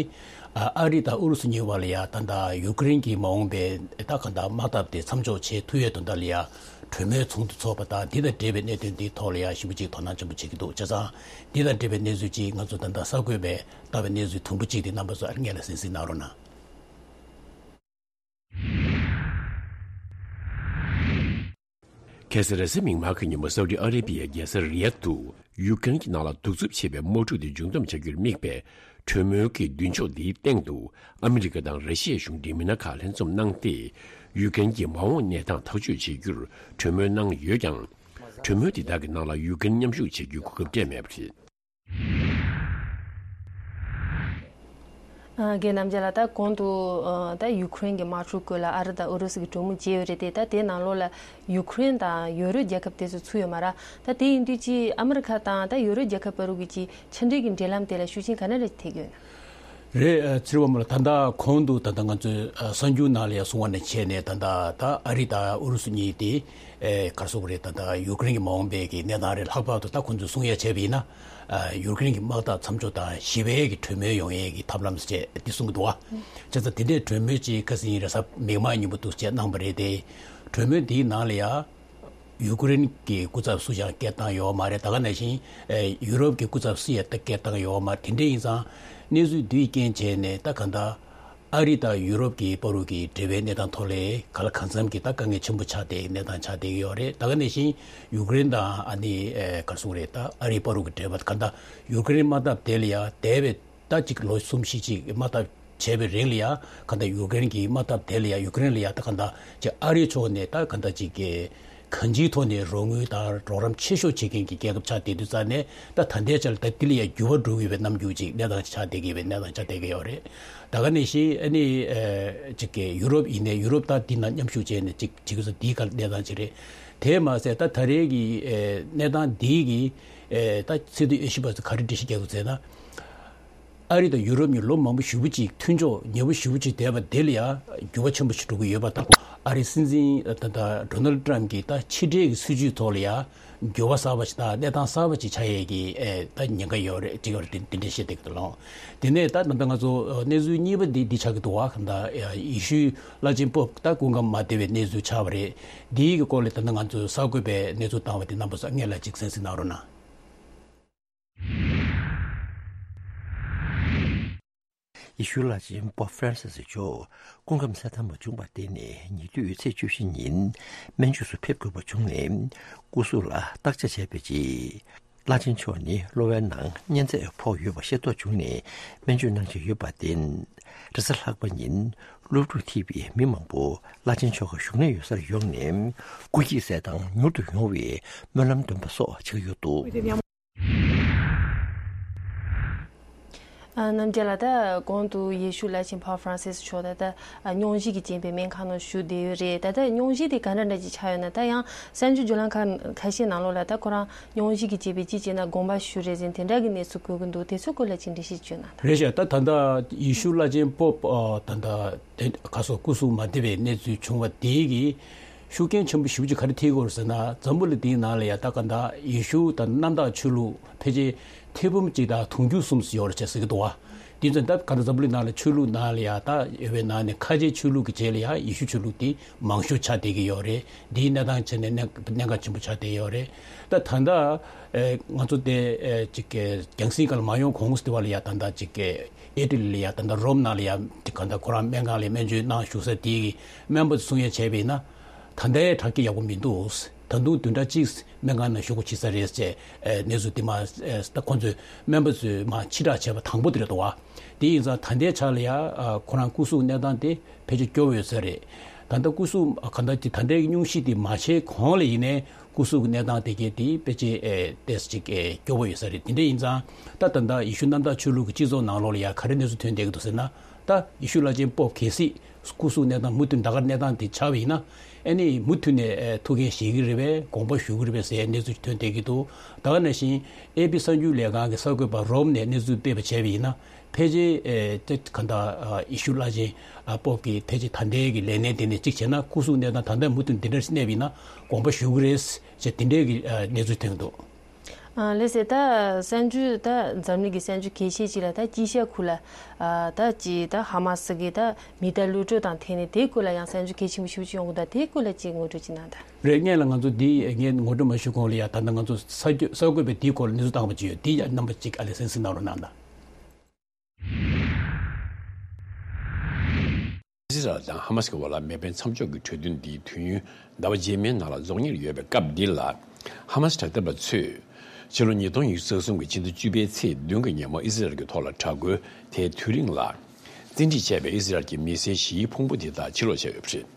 ཨ་ཨ་རི་དང་ཨུ་རུ་སུ་གཉིས་བར་ལ་ཡ་ད་ལྟ་ཡུ་ཀེ་རེན་གྱི་མ་འོངས་པའི་ད་ག་ད་དམག་འཐབ་དེ་མཚམས་འཇོག་བྱེད་ཐུབ་ཡས་དོན་དག་ལ་ཡ་གྲོས་མོལ་ཚོགས་འདུ་འཚོགས་པ་དང་དེ་དང་འབྲེལ་བའི་གནད་དོན་དེའི་ཐོག་ལ་ཡ་ཞེ་པོ་ཅིག་དོ་སྣང་ཆེན་པོ་བྱེད་ཀྱི་འདུག་བྱས་ཙང་དེ་དང་འབྲེལ་བའི་གནས་ཚུལ་ཅིག་ང་ཚོ་ད་ལྟ་གསར་འགོད་པས་བཏབ་པའི་གནས་ཚུལ་དུམ་བུ་གཅིག་དེ་རྣམ་པ་ཚོ་ཨ་སྔོན་ལ་གསན་གཟིགས་གནང་རོགས་གནང་། ཁ་སང་རེས་གཟའ་མིག་དམར་གྱི་ཉིན་མོ་སའུ་ཏི་ཨ་རེ་བྷི་ཡའི་རྒྱལ་ས་རི་ཡཱད་དུ་ཡུཀ་རེན་གྱི་ནང་ལ་གདུག་རྩུབ་ཆེ་བའི་དམག་འཁྲུག་དེ་མཇུག་བསྡོམས་བྱ་རྒྱུར་དམིགས་པའི་གྲོས་མོལ་གྱི་མདུན་ལྕོག་འདིའི་སྟེང་དུ་ཨ་མི་རི་ཀ་དང་ར་ཤི་ཡའི་གཞུང་འབྲེལ་མི་སྣ་ཁག་ལྷན་འཛོམས་གནང་སྟེ། ཡུཀ་རེན་གྱི་མ་འོངས་གནས་སྟངས་ཐག་གཅོད་བྱེད་རྒྱུར་གྲོས་མོལ་གནང་ཡོད་ཀྱང་། གྲོས་མོལ་དེ་དག་གི་ནང་ལ་ཡུཀ་རེན་མཉམ་ཞུགས་བྱེད་རྒྱུའི་གོ་སྐབས་སྤྲད་མེད་པ་རེད། ཨ། རྒན་རྣམ་རྒྱལ་ལགས། ད་གོང་དུ་ཨ་ད་ཡུ་ཀེ་རེན་གྱི་དམག་འཁྲུག་སྐོར་ལ་ཨ་རི་དང་ཨུ་རུ་སུ་གི་གྲོས་མོལ་བྱས་ཡོད་རེད་དེ། ད་དེའི་ནང་ལོགས་ལ་ཡུ་ཀེ་རེན་དང་ཡོ་རོབ་རྒྱལ་ཁབ་དེ་ཚོ་ཚུད་ཡོད་མ་རེད། ད་དེ་ཡིན་དུས་ཀྱི་ཨ་མི་རི་ཁ་དང་ད་ཡོ་རོབ་རྒྱལ་ཁབ་བར་དུ་གི་ཅིག་ཕྱི་འབྲེལ་གྱི་འབྲེལ་ལམ་དེ་ལ་ཤུགས་རྐྱེན་ག་འདྲ་རེ་ཐེབས་ཀྱི་ཡོད་ན། རེད། ཨ། ཚེ་རིང་མོ་ལགས། ད་ལྟ་གོང་དུ་ད་ལྟ་ང་ཚོས་ཨ་གསར་འགྱུར་ནང་ལ་ཡང་གསུངས་པ་ནང་བྱས་ནས་ད་ལྟ་ད་ཨ་རི་དང་ཨུ་རུ་སུ་གཉིས་དེ་ཨེ་ག་རེ་ཟེར་དགོས་རེད། ད་ལྟ་ཡུ་ཀེ་རེན་གྱི་མ་འོངས་པའི་གི་གནས་སྟངས་རེད། ལྷག་པར་དུ་ད་ཁོང་ཚོས་གསུང་ཡ་བྱས་པ་ཡིན་ན། ཨ། ཡུ་ཀེ་རེན་གྱི་དམག་འཐབ་མཚམས་འཇོག་དང་ཞི་བའི་གི་གྲོས་མོལ་ཡོང་ཡས་ཀྱི་ཐབས་ལམ་ཟེར་བྱས་འདི་གསུང་གི་འདུག་བ། བྱས་ཙང་དེ་འདྲའི་གྲོས་མོལ་ཅིག་ཁ་སང་རེས་གཟའ་མིག་དམར་ཉིན་མོ་འདུག་སེ་གནང་བ་རེད་དེ། གྲོས་མོལ་འདིའི་ནང་ལ་ཡ་ཡུ་ཀེ་རེན་གྱི་སྐུ་ཚབ་སུ་ཡང་སྐད་བཏང་ཡོད་མ་རེད། ད་ག་ནང་བཞིན་ཨེ་ཡུ་རོབ་ཀྱི་སྐུ་ཚབ་སུ་ཡང་ད་སྐད་བཏང་ཡོད་མ་རེད། དེ་འདྲ་ཡིན་ཙང་གནས་ཚུལ་འདིའི་རྐྱེན་བྱས་ནས་ད་ག་ད་ཨ་རི་དང་ཡུ་རོབ་ཀྱི་བར་དུ་གི་འབྲེལ་བའི་གནས་སྟངས་ཐོག་ལ་ག་ལ་གང་འཚམ་གྱི་ད་དཀའ་ངལ་ཆེན་པོ་ཆགས་བསྡད་ཀྱི་གནས་སྟངས་ཆགས་བསྡད་ཀྱི་ཡོད་རེད། ད་ག་ནང་བཞིན་ཡུ་ཀེ་རེན་དང་ཨ་ནི་ཨེ་ག་རེ་ཟེར་དགོས་རེད། ད་ཨ་རིའི་བར་དུ་གི་འབྲེལ་བ་ག་ད་ཡུ་ཀེ་རེན་དམག་འཐབ་དེ་ལ་ཡ་འདས་པའི་ད་ཅིག་ལོ་གསུམ་བཞི་ཅིག་དམག་འཐབ་བྱས་པའི་རིང་ལ་ཡ་ག་ད་ཡུ་ཀེ་རེན་གྱི་དམག་འཐབ་དེ་ལ་ཡ་ཡུ་ཀེ་རེན་ལ་ཡ་ད་ག་ད་ཅིག་ཨ་རིའི་ཕྱོགས་ནས་ད་ག་ད་ཅིག་གི་གང་ཅིའི་ཐོག་ནས་རོགས་དངུལ་དང་རོགས་རམ་ཆེ་ཤོས་བྱེད་མཁན་གྱི་རྒྱལ་ཁབ་ཆགས་བསྡད་དུས་ཙང་ནས་ད་ད་ལྟའི་ཆར་ད་དེ་ལ་ཡ་འགྱུར་བ་འགྲོ་གི་ཡོད་པའི་རྣམ་འགྱུར་ཅིག་གནས་སྟངས་ཆགས་བསྡད་ཀྱི་ཡོད་པའི་གནས་སྟངས་ཆགས་བསྡད་ཀྱི་ཡོད་རེད། ད་ག་ནང་བཞིན་ཨ་ནི་ཨེ་ཅིག་གི་ཡུ་རོབ་ཡིན་ནའི་ཡུ་རོབ་ད་འདི་ན་མཉམ་ཞུགས་བྱས་ནས་ཅིག་བྱེད་དགོས་ས་འདིའི་ག་གནས་སྟངས་ཅིག་རེད། དེས་མ་ཟད་ད་ད་རེས་ཀྱི་ཨེ་གནས་སྟངས་འདིའི་གི་ཨེ་ད་སི་ཏུ་ཨེ་ཤི་པ་ཚོ་ག་རེ་འགྲེལ་བཤད་རྒྱག་དགོས་ཟེར་ན། ཨ་རི་དང་ཡུ་རོབ་གཉིས་ལོ་མང་པོ་ཞེ་པོ་ཅིག་མཐུན་ཕྱོགས་ཉེ་པོ་ཞེ་པོ་ཅིག་བསྡད་པ་དེ་ལ་ཡང་འགྱུར་བ་ཆེན་པོ་ཞིག་འགྲོ་གི་ཡོད་པ་དང་། ཨ་རིའི་སྲིད་འཛིན་ད་ལྟ་ཌོ་ནལ་ཌི་ཊརམ་གྱི་ད་ཕྱི་འབྲེལ་གྱི་སྲིད་བྱུས་ཐོག་ལ་ཡང་འགྱུར་བ་གསར་པ་ཞིག་དང་གནས་སྟངས་གསར་པ་ཅིག་ཆགས་ཡས་ཀྱི་ཨེ་ད་ཉེན་ཁ་ཡོད་རེད་ཅིག་ཡོད་རེད། དེ་འདྲ་བཤད་བསྡད་ཀྱི་འདུག་ལགས། དེ་ནས་ད་ད་ལྟ་ང་ཚོ་གནས་ཚུལ་གཉིས་པ་འདི་འདི་ཆགས་ཀྱི་འདུག་བ། ད་ཡེ་ཤུའི་བླ་ཆེན་པོབ་ད་སྐུ་ཁམས་མ་བདེ་བའི་གནས་ཚུལ་ཆགས་པ་རེད། འདིའི་གི་སྐོར་ལ་ད་ལྟ་ང་ཚོས་གསར་འགོད་པས་གནས་ཚུལ་བཏང་བ་དེ་རྣམ་པ་ཚོ་སྔོན་ལ་ཅིག་གསན་གཟིགས་གནང་རོགས་གནང་། ཡེ་ཤུའི་བླ་ཆེན་པོབ་ཧྥ་རན་སིས་མཆོག་སྐུ་ཁམས་གསལ་ཐང་མ་བྱུང་བར་བརྟེན་ནས། ཉེ་དུས་ཚེས་བཅུ་བཞི་ཉིན་སྨན་བཅོས་སུ་ཕེབས་དགོས་པ་བྱུང་ནས། སྐུ་གཟུགས་ལ་བརྟག་དཔྱད་བྱས་པའི་རྗེས། བླ་ཆེན་མཆོག་ནི་གློ་བའི་ནང་གཉན་ཚད་ཕོག་ཡོད་པ་ཤེས་རྟོགས་བྱུང་ནས། སྨན་བཅོས་གནང་བཞིན་ཡོད་པར་བརྟེན། རེས་གཟའ་ལྷག་པ་ཉིན་སློབ་ཕྲུག་ཐེ་བའི་མི་མང་པོ་བླ་ཆེན་མཆོག་གི་བཞུགས་གནས་ཡོད་སར་ཡོང་ནས། སྐུ་སྐྱེད་ཚད་དང་མྱུར་དུ་ཡོང་བའི་སྨོན་ལམ་འདོན་པ་སོགས་བྱེད་ཀྱི་ཡོད་འདུག། ཨ། རྣམ་རྒྱལ་ལགས། ད་གོང་དུ་ཡེ་ཤུ་བླ་ཆེན་པོབ་ཧྥ་རན་སིས་མཆོག་ད་ལྟ་ཨ་སྙུང་གཞི་གིས་རྐྱེན་པས་སྨན་ཁང་ནང་བཞུགས་བསྡད་ཡོད་རེད། ད་ལྟ་སྙུང་གཞི་དེ་ག་འདྲ་འདྲ་ཅིག་ཆགས་ཡོད་ན། ད་ཡང་གསར་འགྱུར་བརྒྱུད་ལམ་ཁག་ཁ་ཤས་ནང་ལོགས་ལ་ད་ཁོ་རང་སྙུང་གཞི་གིས་རྐྱེན་པས་ཅི་བྱས་ན་དགོངས་པ་ཞུས་རེད་ཟེར་དེ་འདྲ་གི་གནས་ཚུལ་གོ་གི་འདུག། དེ་ཚོའི་སྐོར་ལ་ཅིག་འགྲེལ་བཤད་བྱོས་གནང་དང་། རེད་ཤག། ད་ད་ལྟ་ཡེ་ཤུ་བླ་ཆེན་པོབ་ཨ་ད་ལྟ་དེ་ག་སོ་སྐུ་གཟུགས་མ་བདེ་བའི་གནས་ཚུལ་བྱུང་བ་དེ་གིས་ཤུགས་རྐྱེན་ཆེན་པོ་ཞེ་པོ་ཅིག་ག་རེ་ཐེབས་ཀྱི་ཡོད་རེད་ཟེར་ན། འཛམ་བུ་གླིང་འདིའི་ནང་ལ་ཡ་ད་ག་ད་ཡེ་ཤུ་དང་གནམ་བདག་ཆོས་ལུགས་ཕལ་ཆེར་ཐེར་འབུམ་གཅིག་དང་དུང་ཕྱུར་གསུམ་ཙམ་ཡོད་རེད་ཅེས་ཟེར་གྱི་འདུག་བ། དེ་ཚོ་ད་ག་ད་འཛམ་བུ་གླིང་ནང་ལ་ཆོས་ལུགས་ནང་ལ་ཡ་ད་ཡོད་པའི་ནང་ནས་ཁ་ཆེའི་ཆོས་ལུགས་ཀྱི་གྲས་ལ་ཡ་ཡེ་ཤུ་ཆོས་ལུགས་དེ་མང་ཤོས་ཆགས་བསྡད་ཀྱི་ཡོད་རེད། འདིའི་གནས་སྟངས་བྱས་ནས་གནད་གནད་འགག་ཆེན་པོ་ཆགས་བསྡད་ཡོད་རེད། ད་ད་ལྟ་ཨེ་ང་ཚོ་དེ་ཨེ་ཅིག་གི་རྒྱང་སྲིང་སྒང་ལ་མ་ཡོང་གོང་དེ་བ་ལ་ཡ་ད་ལྟ་ཅིག་གི་ཨི་ཊ་ལི་ལ་ཡ་ད་ལྟ་རོམ་ནང་ལ་ཡ་ཅིག་ག་ད་ཁོ་རང་སྨན་ཁང་ལ་སྨན་བཅོས་གནང་བཞུགས་ས་དེའི་སྨན་པ་ཚོ་གསུང་ཡ་བྱས་པ་ཡིན་ན། ད་ལྟའི་དྲག་སྐྱེད་ཡག་པོ་མི་འདུག། ད་དུང་བདུན་ཕྲག་གཅིག་སྨན་ཁང་ནང་བཞུགས་དགོས་བྱེད་ས་རེད་ཅེས་ཨ་གནས་ཚུལ་དེ་མ་ཨ་ད་ཁོང་ཚོས་སྨན་པ་ཚོས་མ་ཕྱིར་བསྒྲགས་བྱས་པ་དང་པོ་དེ་རེད་འདུག་བ། དེ་ཡིན་ཙང་ད་ལྟའི་ཆ་ལ་ཡ་ཨ་ཁོ་རང་སྐུ་གཟུགས་གནས་སྟངས་དེ་ཕལ་ཆེར་སྐྱོ་བོ་ཡོད་ས་རེད། ད་ལྟ་སྐུ་གཟུགས་ག་ད་ད་ལྟའི་སྙུང་གཞི་དེ་མ་བྱས་གོང་ལ་ཡིན་ནའི་སྐུ་གཟུགས་གནས་སྟངས་དེ་གས་དེ་ཕལ་ཆེར་ཨེ་ཏོག་ཙམ་ཅིག་ཨེ་སྐྱོ་བོ་ཡོད་ས་རེད། དེ་འདྲ་ཡིན་ཙང་ད་ད་ལྟ་ཡེ་ཤུ་གནམ་བདག་ཆོས་ལུགས་ཀྱི་སྤྱི་ཚོགས་ནང་ལོགས་ལ་ཡ་ག་རེ་གནས་ཚུལ་ཐོན་བསྡད་ཀྱི་འདུག་ཟེར་ན། ད་ཡེ་ཤུ་བླ་ཆེན་པོབ་གལ་སྲིད་སྐུ་གཟུགས་གནས་སྟངས་མུ་མཐུད་ད་ག་གནས་སྟངས་དེ་ཆགས་པ་ཡིན་ན། ཨ་ནི་མུ་མཐུད་ནས་ཨེ་ཐུགས་འགན་བཞེས་ཀྱི་རེད་པས། དགོངས་པ་ཞུ་གི་རེད་པས་ཟེར་གནས་ཚུལ་ཐོན་བསྡད་ཀྱི་འདུག་ད་ག་ནང་བཞིན་ཨེ་པི་གསར་འགྱུར་ལས་ཁང་གི་གསར་འགོད་པ་རོམ་ནས་གནས་ཚུལ་སྤེལ་བ་བྱས་པ་ཡིན་ན། ཕལ་ཆེར་ཨེ་ཏེ་ག་ད་ཨ་ཡེ་ཤུ་བླ་ཆེན་ཨ་པོབ་ཀྱིས་ཕལ་ཆེར་ད་ལྟའི་གི་ལས་གནས་དེ་ནས་གཅིག་བྱས་ན་སྐུ་གཟུགས་གནས་སྟངས་ད་ལྟ་མུ་མཐུད་འདི་འདྲར་གནས་པ་ཡིན་ན་དགོངས་པ་ཞུ་གི་རེད་ཅེས་དེ་འདྲའི་གི་ཨ་གནས་ཚུལ་ཐོན་འདུག་ཨ་ལགས་སེ། ད་གསར་འགྱུར་ད་འཛམ་གླིང་གི་གསར་འགྱུར་གལ་ཆེ་ཅིག་ལ་ད་དཀྱིལ་ཤར་ཁུལ་ལ་ཨ་ད་ཅི་ད་ཧ་མ་སི་གི་ད་མི་གཏའ་གློད་གྲོལ་དང་འཐེན་ནས་དེའི་སྐོར་ལ་ཡང་གསར་འགྱུར་གལ་ཆེན་པོ་ཞེ་པོ་ཅིག་ཡོང་གི་འདུག་དེའི་སྐོར་ལ་ཅིག་ངོ་སྤྲོད་ཅིག་གནང་དང་། རེད། སྔོན་ལ་ང་ཚོ་འདི་ངས་ངོ་སྤྲོད་མ་ཞུ་གོང་ལ་ཡ་ད་ལྟ་ང་ཚོ་གསར་འགྱུར་གསར་འགོད་པས་འདིའི་སྐོར་ལ་གནས་ཚུལ་བཏང་བ་ཅིག་ཡོད། འདི་ཡ་རྣམ་པ་ཅིག་ཨ་ལས་གསན་གཟིགས་གནང་རོགས་གནང་དང་། ཨི་ཟི་རལ་དང་ཧ་མ་སི་གི་བར་ལ་མེ་འཕེན་མཚམས་འཇོག་གི་གྲོས་མཐུན་འདི་དུས་ཡུན་ཟླ་བ་རྗེས་མའི་ནང་ལ་རྫོགས་ཉེར་ཡོད་པའི་སྐབས་འདི་ལ། ཧ་མ་སི་དྲག་འཐབ་པ་ཚོས་ཕྱི་ལོ་ཉིས་སྟོང་ཉི་ཤུ་རྩ་གསུམ་གྱི་ཕྱི་ཟླ་བཅུ་པའི་ཚེས་བདུན་གྱི་ཉིན་མོ་ཨི་ཟི་རལ་གྱི་ཐོག་ལ་དྲག་རྒོལ་དེའི་དུས་རིང་ལ། བཙན་ཁྲིད་བྱས་པའི་ཨི་ཟི་རལ་གྱི་མི་སེར་བཞིའི་ཕུང་པོ་དེ་དག་ཕྱིར་ལོག་བྱས་ཡོད་པ་རེད།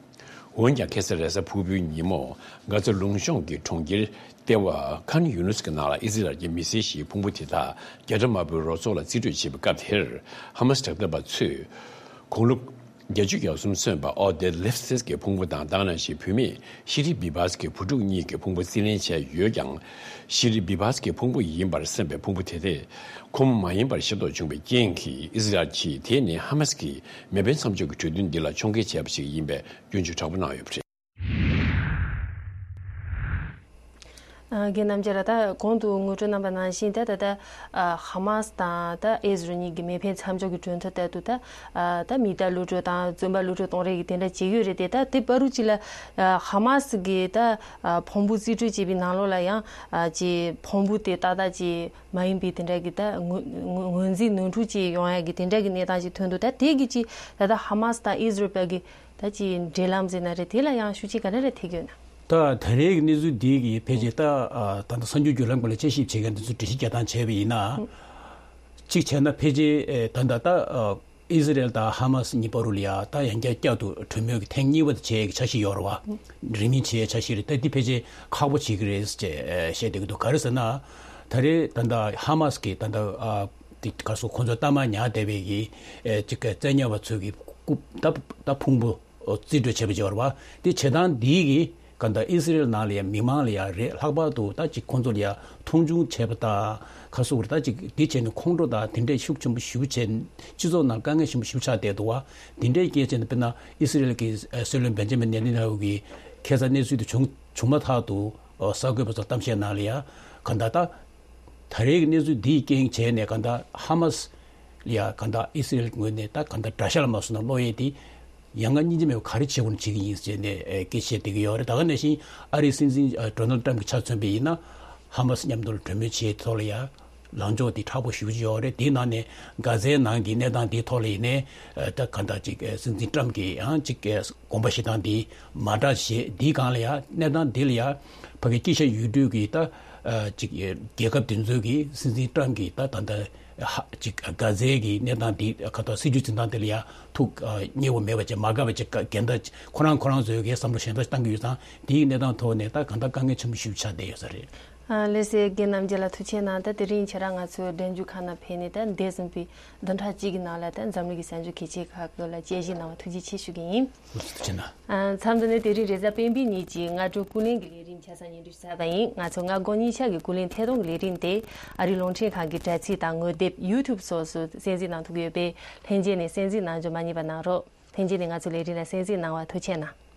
འོན་ཀྱང་ཁ་སང་རེས་གཟའ་ཕུར་བུའི་ཉིན་མོ་གྷ་ཛ་ལུང་གཤོང་གི་གྲོང་ཁྱེར་ལྟེ་བ་ཁཱན་ཡུ་ནུས་ཀྱི་ནང་ལ་ཨི་ཟི་རལ་གྱི་མི་སེར་བཞིའི་ཕུང་པོ་དེ་དག་རྒྱ་གྲམ་དམར་པོའི་རོགས་ཚོགས་ལ་རྩིས་སྤྲོད་བྱེད་པའི་སྐབས་དེར། ཧ་མ་སི་དྲག་འཐབ་པ་ཚོས་དགུང་ལོ་བརྒྱད་ཅུ་གྱ་གསུམ་སོན་པ་ཨོ་དེ་ལེབ་སིས་ཀྱི་ཕུང་པོ་དང་། དེ་ནང་བཞིན་བུད་མེད་ཤི་རི་བི་བཱས་ཀྱི་བུ་ཕྲུག་གཉིས་ཀྱི་ཕུང་པོ་རྩིས་ལེན་བྱས་ཡོད་ཀྱང་། ཤི་རི་བི་བཱས་ཀྱི་ཕུང་པོ་ཡིན་པར་སེམས་པའི་ཕུང་པོ་དེ་དེ་ཁོ་མོ་མ་ཡིན་པར་ཤེས་རྟོགས་བྱུང་བའི་རྐྱེན་གྱིས། ཨི་ཟི་རལ་གྱིས་དེ་ནི་ཧ་མ་སི་ཀྱིས་མེ་འཕེན་མཚམས་འཇོག་གི་གྲོས་མཐུན་འདི་ལ་མཆོང་བརྒལ་བྱས་པ་ཞིག་ཡིན་པའི་སྐྱོན་བརྗོད་དྲག་པོ་གནང་ཡོད་པ་རེད། ཨ་རྒན་རྣམ་རྒྱལ་ལགས། ད་གོང་དུ་ངོ་སྤྲོད་གནང་པ་ནང་བཞིན། ད་ད་ད་ཨ་ཧ་མ་སི་དང་ད་ཨི་ཟི་རལ་གཉིས་ཀྱི་མེ་འཕེན་མཚམས་འཇོག་གི་གྲོས་མཐུན་ལྟར་དུ། ད་ཨ་ད་མི་གཏའ་གློད་གྲོལ་དང་བཙོན་པ་གློད་གྲོལ་གཏོང་རེས་ཀྱི་དེ་འདྲ་བྱེད་ཀྱི་ཡོད་རེད་དེ། ད་དེ་བར་དུ་ཅིག་ལ་ཨ་ཧ་མ་སི་གི་ད་ཨ་ཕུང་པོ་རྩིས་སྤྲོད་བྱས་པའི་ནང་ལོགས་ལ་ཡང་ཨ་ཅིག་ཕུང་པོ་དེ་ཏག་ཏག་ཅིག་མ་ཡིན་པའི་དེ་འདྲ་གི་ད་ངོས་ངོས་ངོས་འཛིན་ནོར་འཁྲུལ་ཅིག་ཡོང་ཡ་གི་དེ་འདྲ་གི་གནས་སྟངས་ཅིག་ཐོན་འདུག་ད་དེ་གི་ཅིག་ད་ད་ཧ་མ་སི་དང་ཨི་ཟི་རལ་བར་གི་ད་ཅིག་འབྲེལ་ལམ་ཟེར་ན་རེད། དེ་ལ་ཡང་ཤུགས་རྐྱེན་ག་འདྲ་རེ་ཐེབས་ཀྱི་ཡོད་ན། ད་ད་རེས་ཀྱི་གནས་ཚུལ་འདི་གིས་ཕལ་ཆེར་ད་ཨ་ད་ལྟ་གསར་འགྱུར་བརྒྱུད་ལམ་སྐོར་ལ་དཔྱད་ཞིབ་བྱེད་མཁན་དེ་ཚོས་འགྲེལ་བཤད་རྒྱག་སྟངས་བྱས་པ་ཡིན་ན། གཅིག་བྱས་ན་ཕལ་ཆེར་ཨེ་ད་ལྟ་ད་ཨ་ཨི་ཟི་རལ་དང་ཧ་མ་སི་གཉིས་བར་དུ་ལ་ཡ་ད་ཡང་བསྐྱར་བསྐྱར་དུ་གྲོས་མོལ་གྱི་ཐེངས་གཉིས་པ་དེ་བྱེད་ཡས་ཀྱི་འཆར་གཞི་ཡོད་རེད་བ། རིང་མིན་བྱེད་ཡས་འཆར་གཞི་རེད། ད་འདི་ཕལ་ཆེར་ཁག་པོ་བྱེད་ཀྱི་རེད་ཅེས་ཨེ་བཤད་བསྡད་ཀྱི་འདུག་ག་རེ་ཟེར་ན། ད་རེས་ད་ལྟ་ཧ་མ་སི་གིས་ད་ལྟ་ཨ་དེ་ག་སོ་ཁོང་ཚོ་གཏའ་མ་ཉར་བསྡད་པའི་གི་ཨེ་ཅིག་བཙན་ཉར་བ་ཚོའི་གི་རྐུབ་ད་ད་ཕུང་པོ། རྩིས་སྤྲོད་བྱས་པ་ཅིག་ཡོད་རེད་བ། དེ་བྱེད་སྟངས་འདིས་གི་ག་ད་ཨི་སི་རེལ་ནང་ལ་ཡ་མི་མང་ལ་ཡ་རེད། ལྷག་པར་དུ་ད་ཅིག་ཁོང་ཚོ་ལ་ཡ་མཐོང་ཆུང་བྱས་པ་དང་ཁ་སོ་བར་ད་ཅིག་འདི་བྱས་ནས་ཁོང་ཁྲོ་དང་དེ་འདྲས་ཤུགས་ཆེན་པོ་ཞེ་པོ་བྱས། སྤྱི་ཚོགས་ནང་དཀའ་ངལ་ཆེན་པོ་ཞེ་པོ་ཆགས་བསྡད་འདུག་བ། དེ་འདྲས་སྐད་བྱས་ནས་དཔེར་ན་ཨི་སི་རེལ་གྱི་སྲིད་བློན་བེན་ཇ་མིན་ནེ་ཐན་ཡ་ཧུ་གིས་ཁ་སང་གནས་ཚུལ་དེ་བྱུང་བྱུང་མ་ཐག་ཏུ་གསར་འགོད་པ་ཚོར་གཏམ་བཤད་ནང་ལ་ཡ་ག་ད་ད། ད་རེས་ཀྱི་གནས་ཚུལ་འདིའི་རྐྱེན་བྱས་ནས་ག་ད་ཧ་མ་སི་ལ་ཡ་ག་ད་ཨི་སི་རེལ་ངོས་ནས་ད་ག་ད་དགྲ་ཤ་ལ་མ་སོང་ན་བློ་ཡས་དེ་ཡང་ང་སྙིང་རྗེ་མེད་པ་ག་རེ་བྱེད་དགོས་ན་བྱེད་ཀྱི་ཡིན་ཟེར་ནས་ཨེ་སྐད་ཆ་བཤད་བསྡད་ཀྱི་ཡོད་རེད། ད་ག་ནང་བཞིན་ཨ་རིའི་སྲིད་འཛིན་ཨ་ཌོ་ནལ་ཏྲམ་གྱི་ཆ་མཚོན་པ་ཡིན་ན་ཧ་མ་སི་མཉམ་དུ་ལ་གྲོས་མོལ་བྱེད་ཐོག་ལ་ཡ་ལངས་ཕྱོགས་དེ་མཁྲེགས་པོ་ཞེ་པོ་ཅིག་ཡོད་རེད། དེའི་ནང་ནས་གྷ་ཛའི་ནང་གི་གནས་སྟངས་དེའི་ཐོག་ལ་ཡིན་ནའི་ཨ་ད་ག་ད་ཅིག་ཨེ་སྲིད་འཛིན་ཏྲམ་གྱི་ཡང་ཅིག་ཨེ་དགོངས་པ་བཞེས་སྟངས་དེ་མ་འདྲ་ཞེས། འདིའི་སྒང་ལ་ཡ་གནས་སྟངས་འདི་ལ་ཡ་ཕ་གི་དཀྱིལ་ཤར་ཡུལ་གྲུ་གི་ད་ཨ་ཅིག་རྒྱལ་ཁབ་དེ་ཚོའི་གི་སྲིད་འཛིན་ཏྲམ་གྱིས་ད་ད་ལྟ་ཧ་ཅིག་གྷ་ཛའི་གི་གནས་སྟངས་འདི་ག་ད་སྲིད་ཇུས་འཛིན་སྟངས་དེ་ལ་ཡ་ཐུགས་ཨ་མཉེས་པོ་མེད་པ་བྱས། མ་དགའ་བ་བྱས། འགལ་ཟླ་ཁོ་རང་ཁོ་རང་ཚོའི་གི་བསམ་བློ་གཞན་དག་བཏང་གི་ཡོད་ཙང་། འདིའི་གནས་སྟངས་ཐོག་ནས་ད་གང་ལྟར་དཀའ་ངལ་ཆེན་པོ་ཞེ་པོ་ཆགས་བསྡད་ཡོད་ས་རེད། ཨ་ལགས་སེ། རྒན་རྣམ་རྒྱལ་ལགས་ཐུགས་རྗེ་གནང་། ད་དེ་རིང་ཁྱེད་རང་ང་ཚོའི་འགྲན་བསྡུར་ཁང་ནང་ཕེབས་ནས་ད་འདས་ཟིན་པའི་བདུན་ཕྲག་གཅིག་གི་ནང་ལ་ད་འཛམ་གླིང་གི་གསར་འགྱུར་གལ་ཆེ་ཁག་གི་ལ་དཔྱད་ཞིབ་གནང་བ་ཐུགས་རྗེ་ཆེ་ཞུ་གི་ཡིན། ཐུགས་རྗེ་གནང་། ཨ་མཚམས་འདི་ནས་དེ་རིང་རེས་གཟའ་སྤེན་པའི་ཉིན་གྱི་སྔ་དྲོ་ཀུན་གླེང་གི་ལས་རིམ་ཆ་ཚང་སྙན་སྒྲོན་ཞུ་ཚར་བ་ཡིན། ང་ཚོ་སྔ་དགོང་གཉིས་ཆ་གི་ཀུན་གླེང་ཐད་གཏོང་གི་ལས་རིམ་དེ་ཨ་རིའི་རླུང་འཕྲིན་ཁང་གི་དྲ་ཚིགས་དང་ངོ་དེབ། ཡུ་ཊུབ་སོགས་སུ་གསན་གཟིགས་གནང་ཐུབ་ཀྱི་ཡོད་པས། ལྷན་རྒྱས་ནས་གསན་གཟིགས་གནང་རྒྱུ་མ་བསྙེལ་བ་གནང་རོགས། ལྷན་རྒྱས་ནས་ང་ཚོའི་ལས་རིམ་ལ་གསན་གཟིགས་གནང་བར་ཐུགས་རྗེ་གནང་།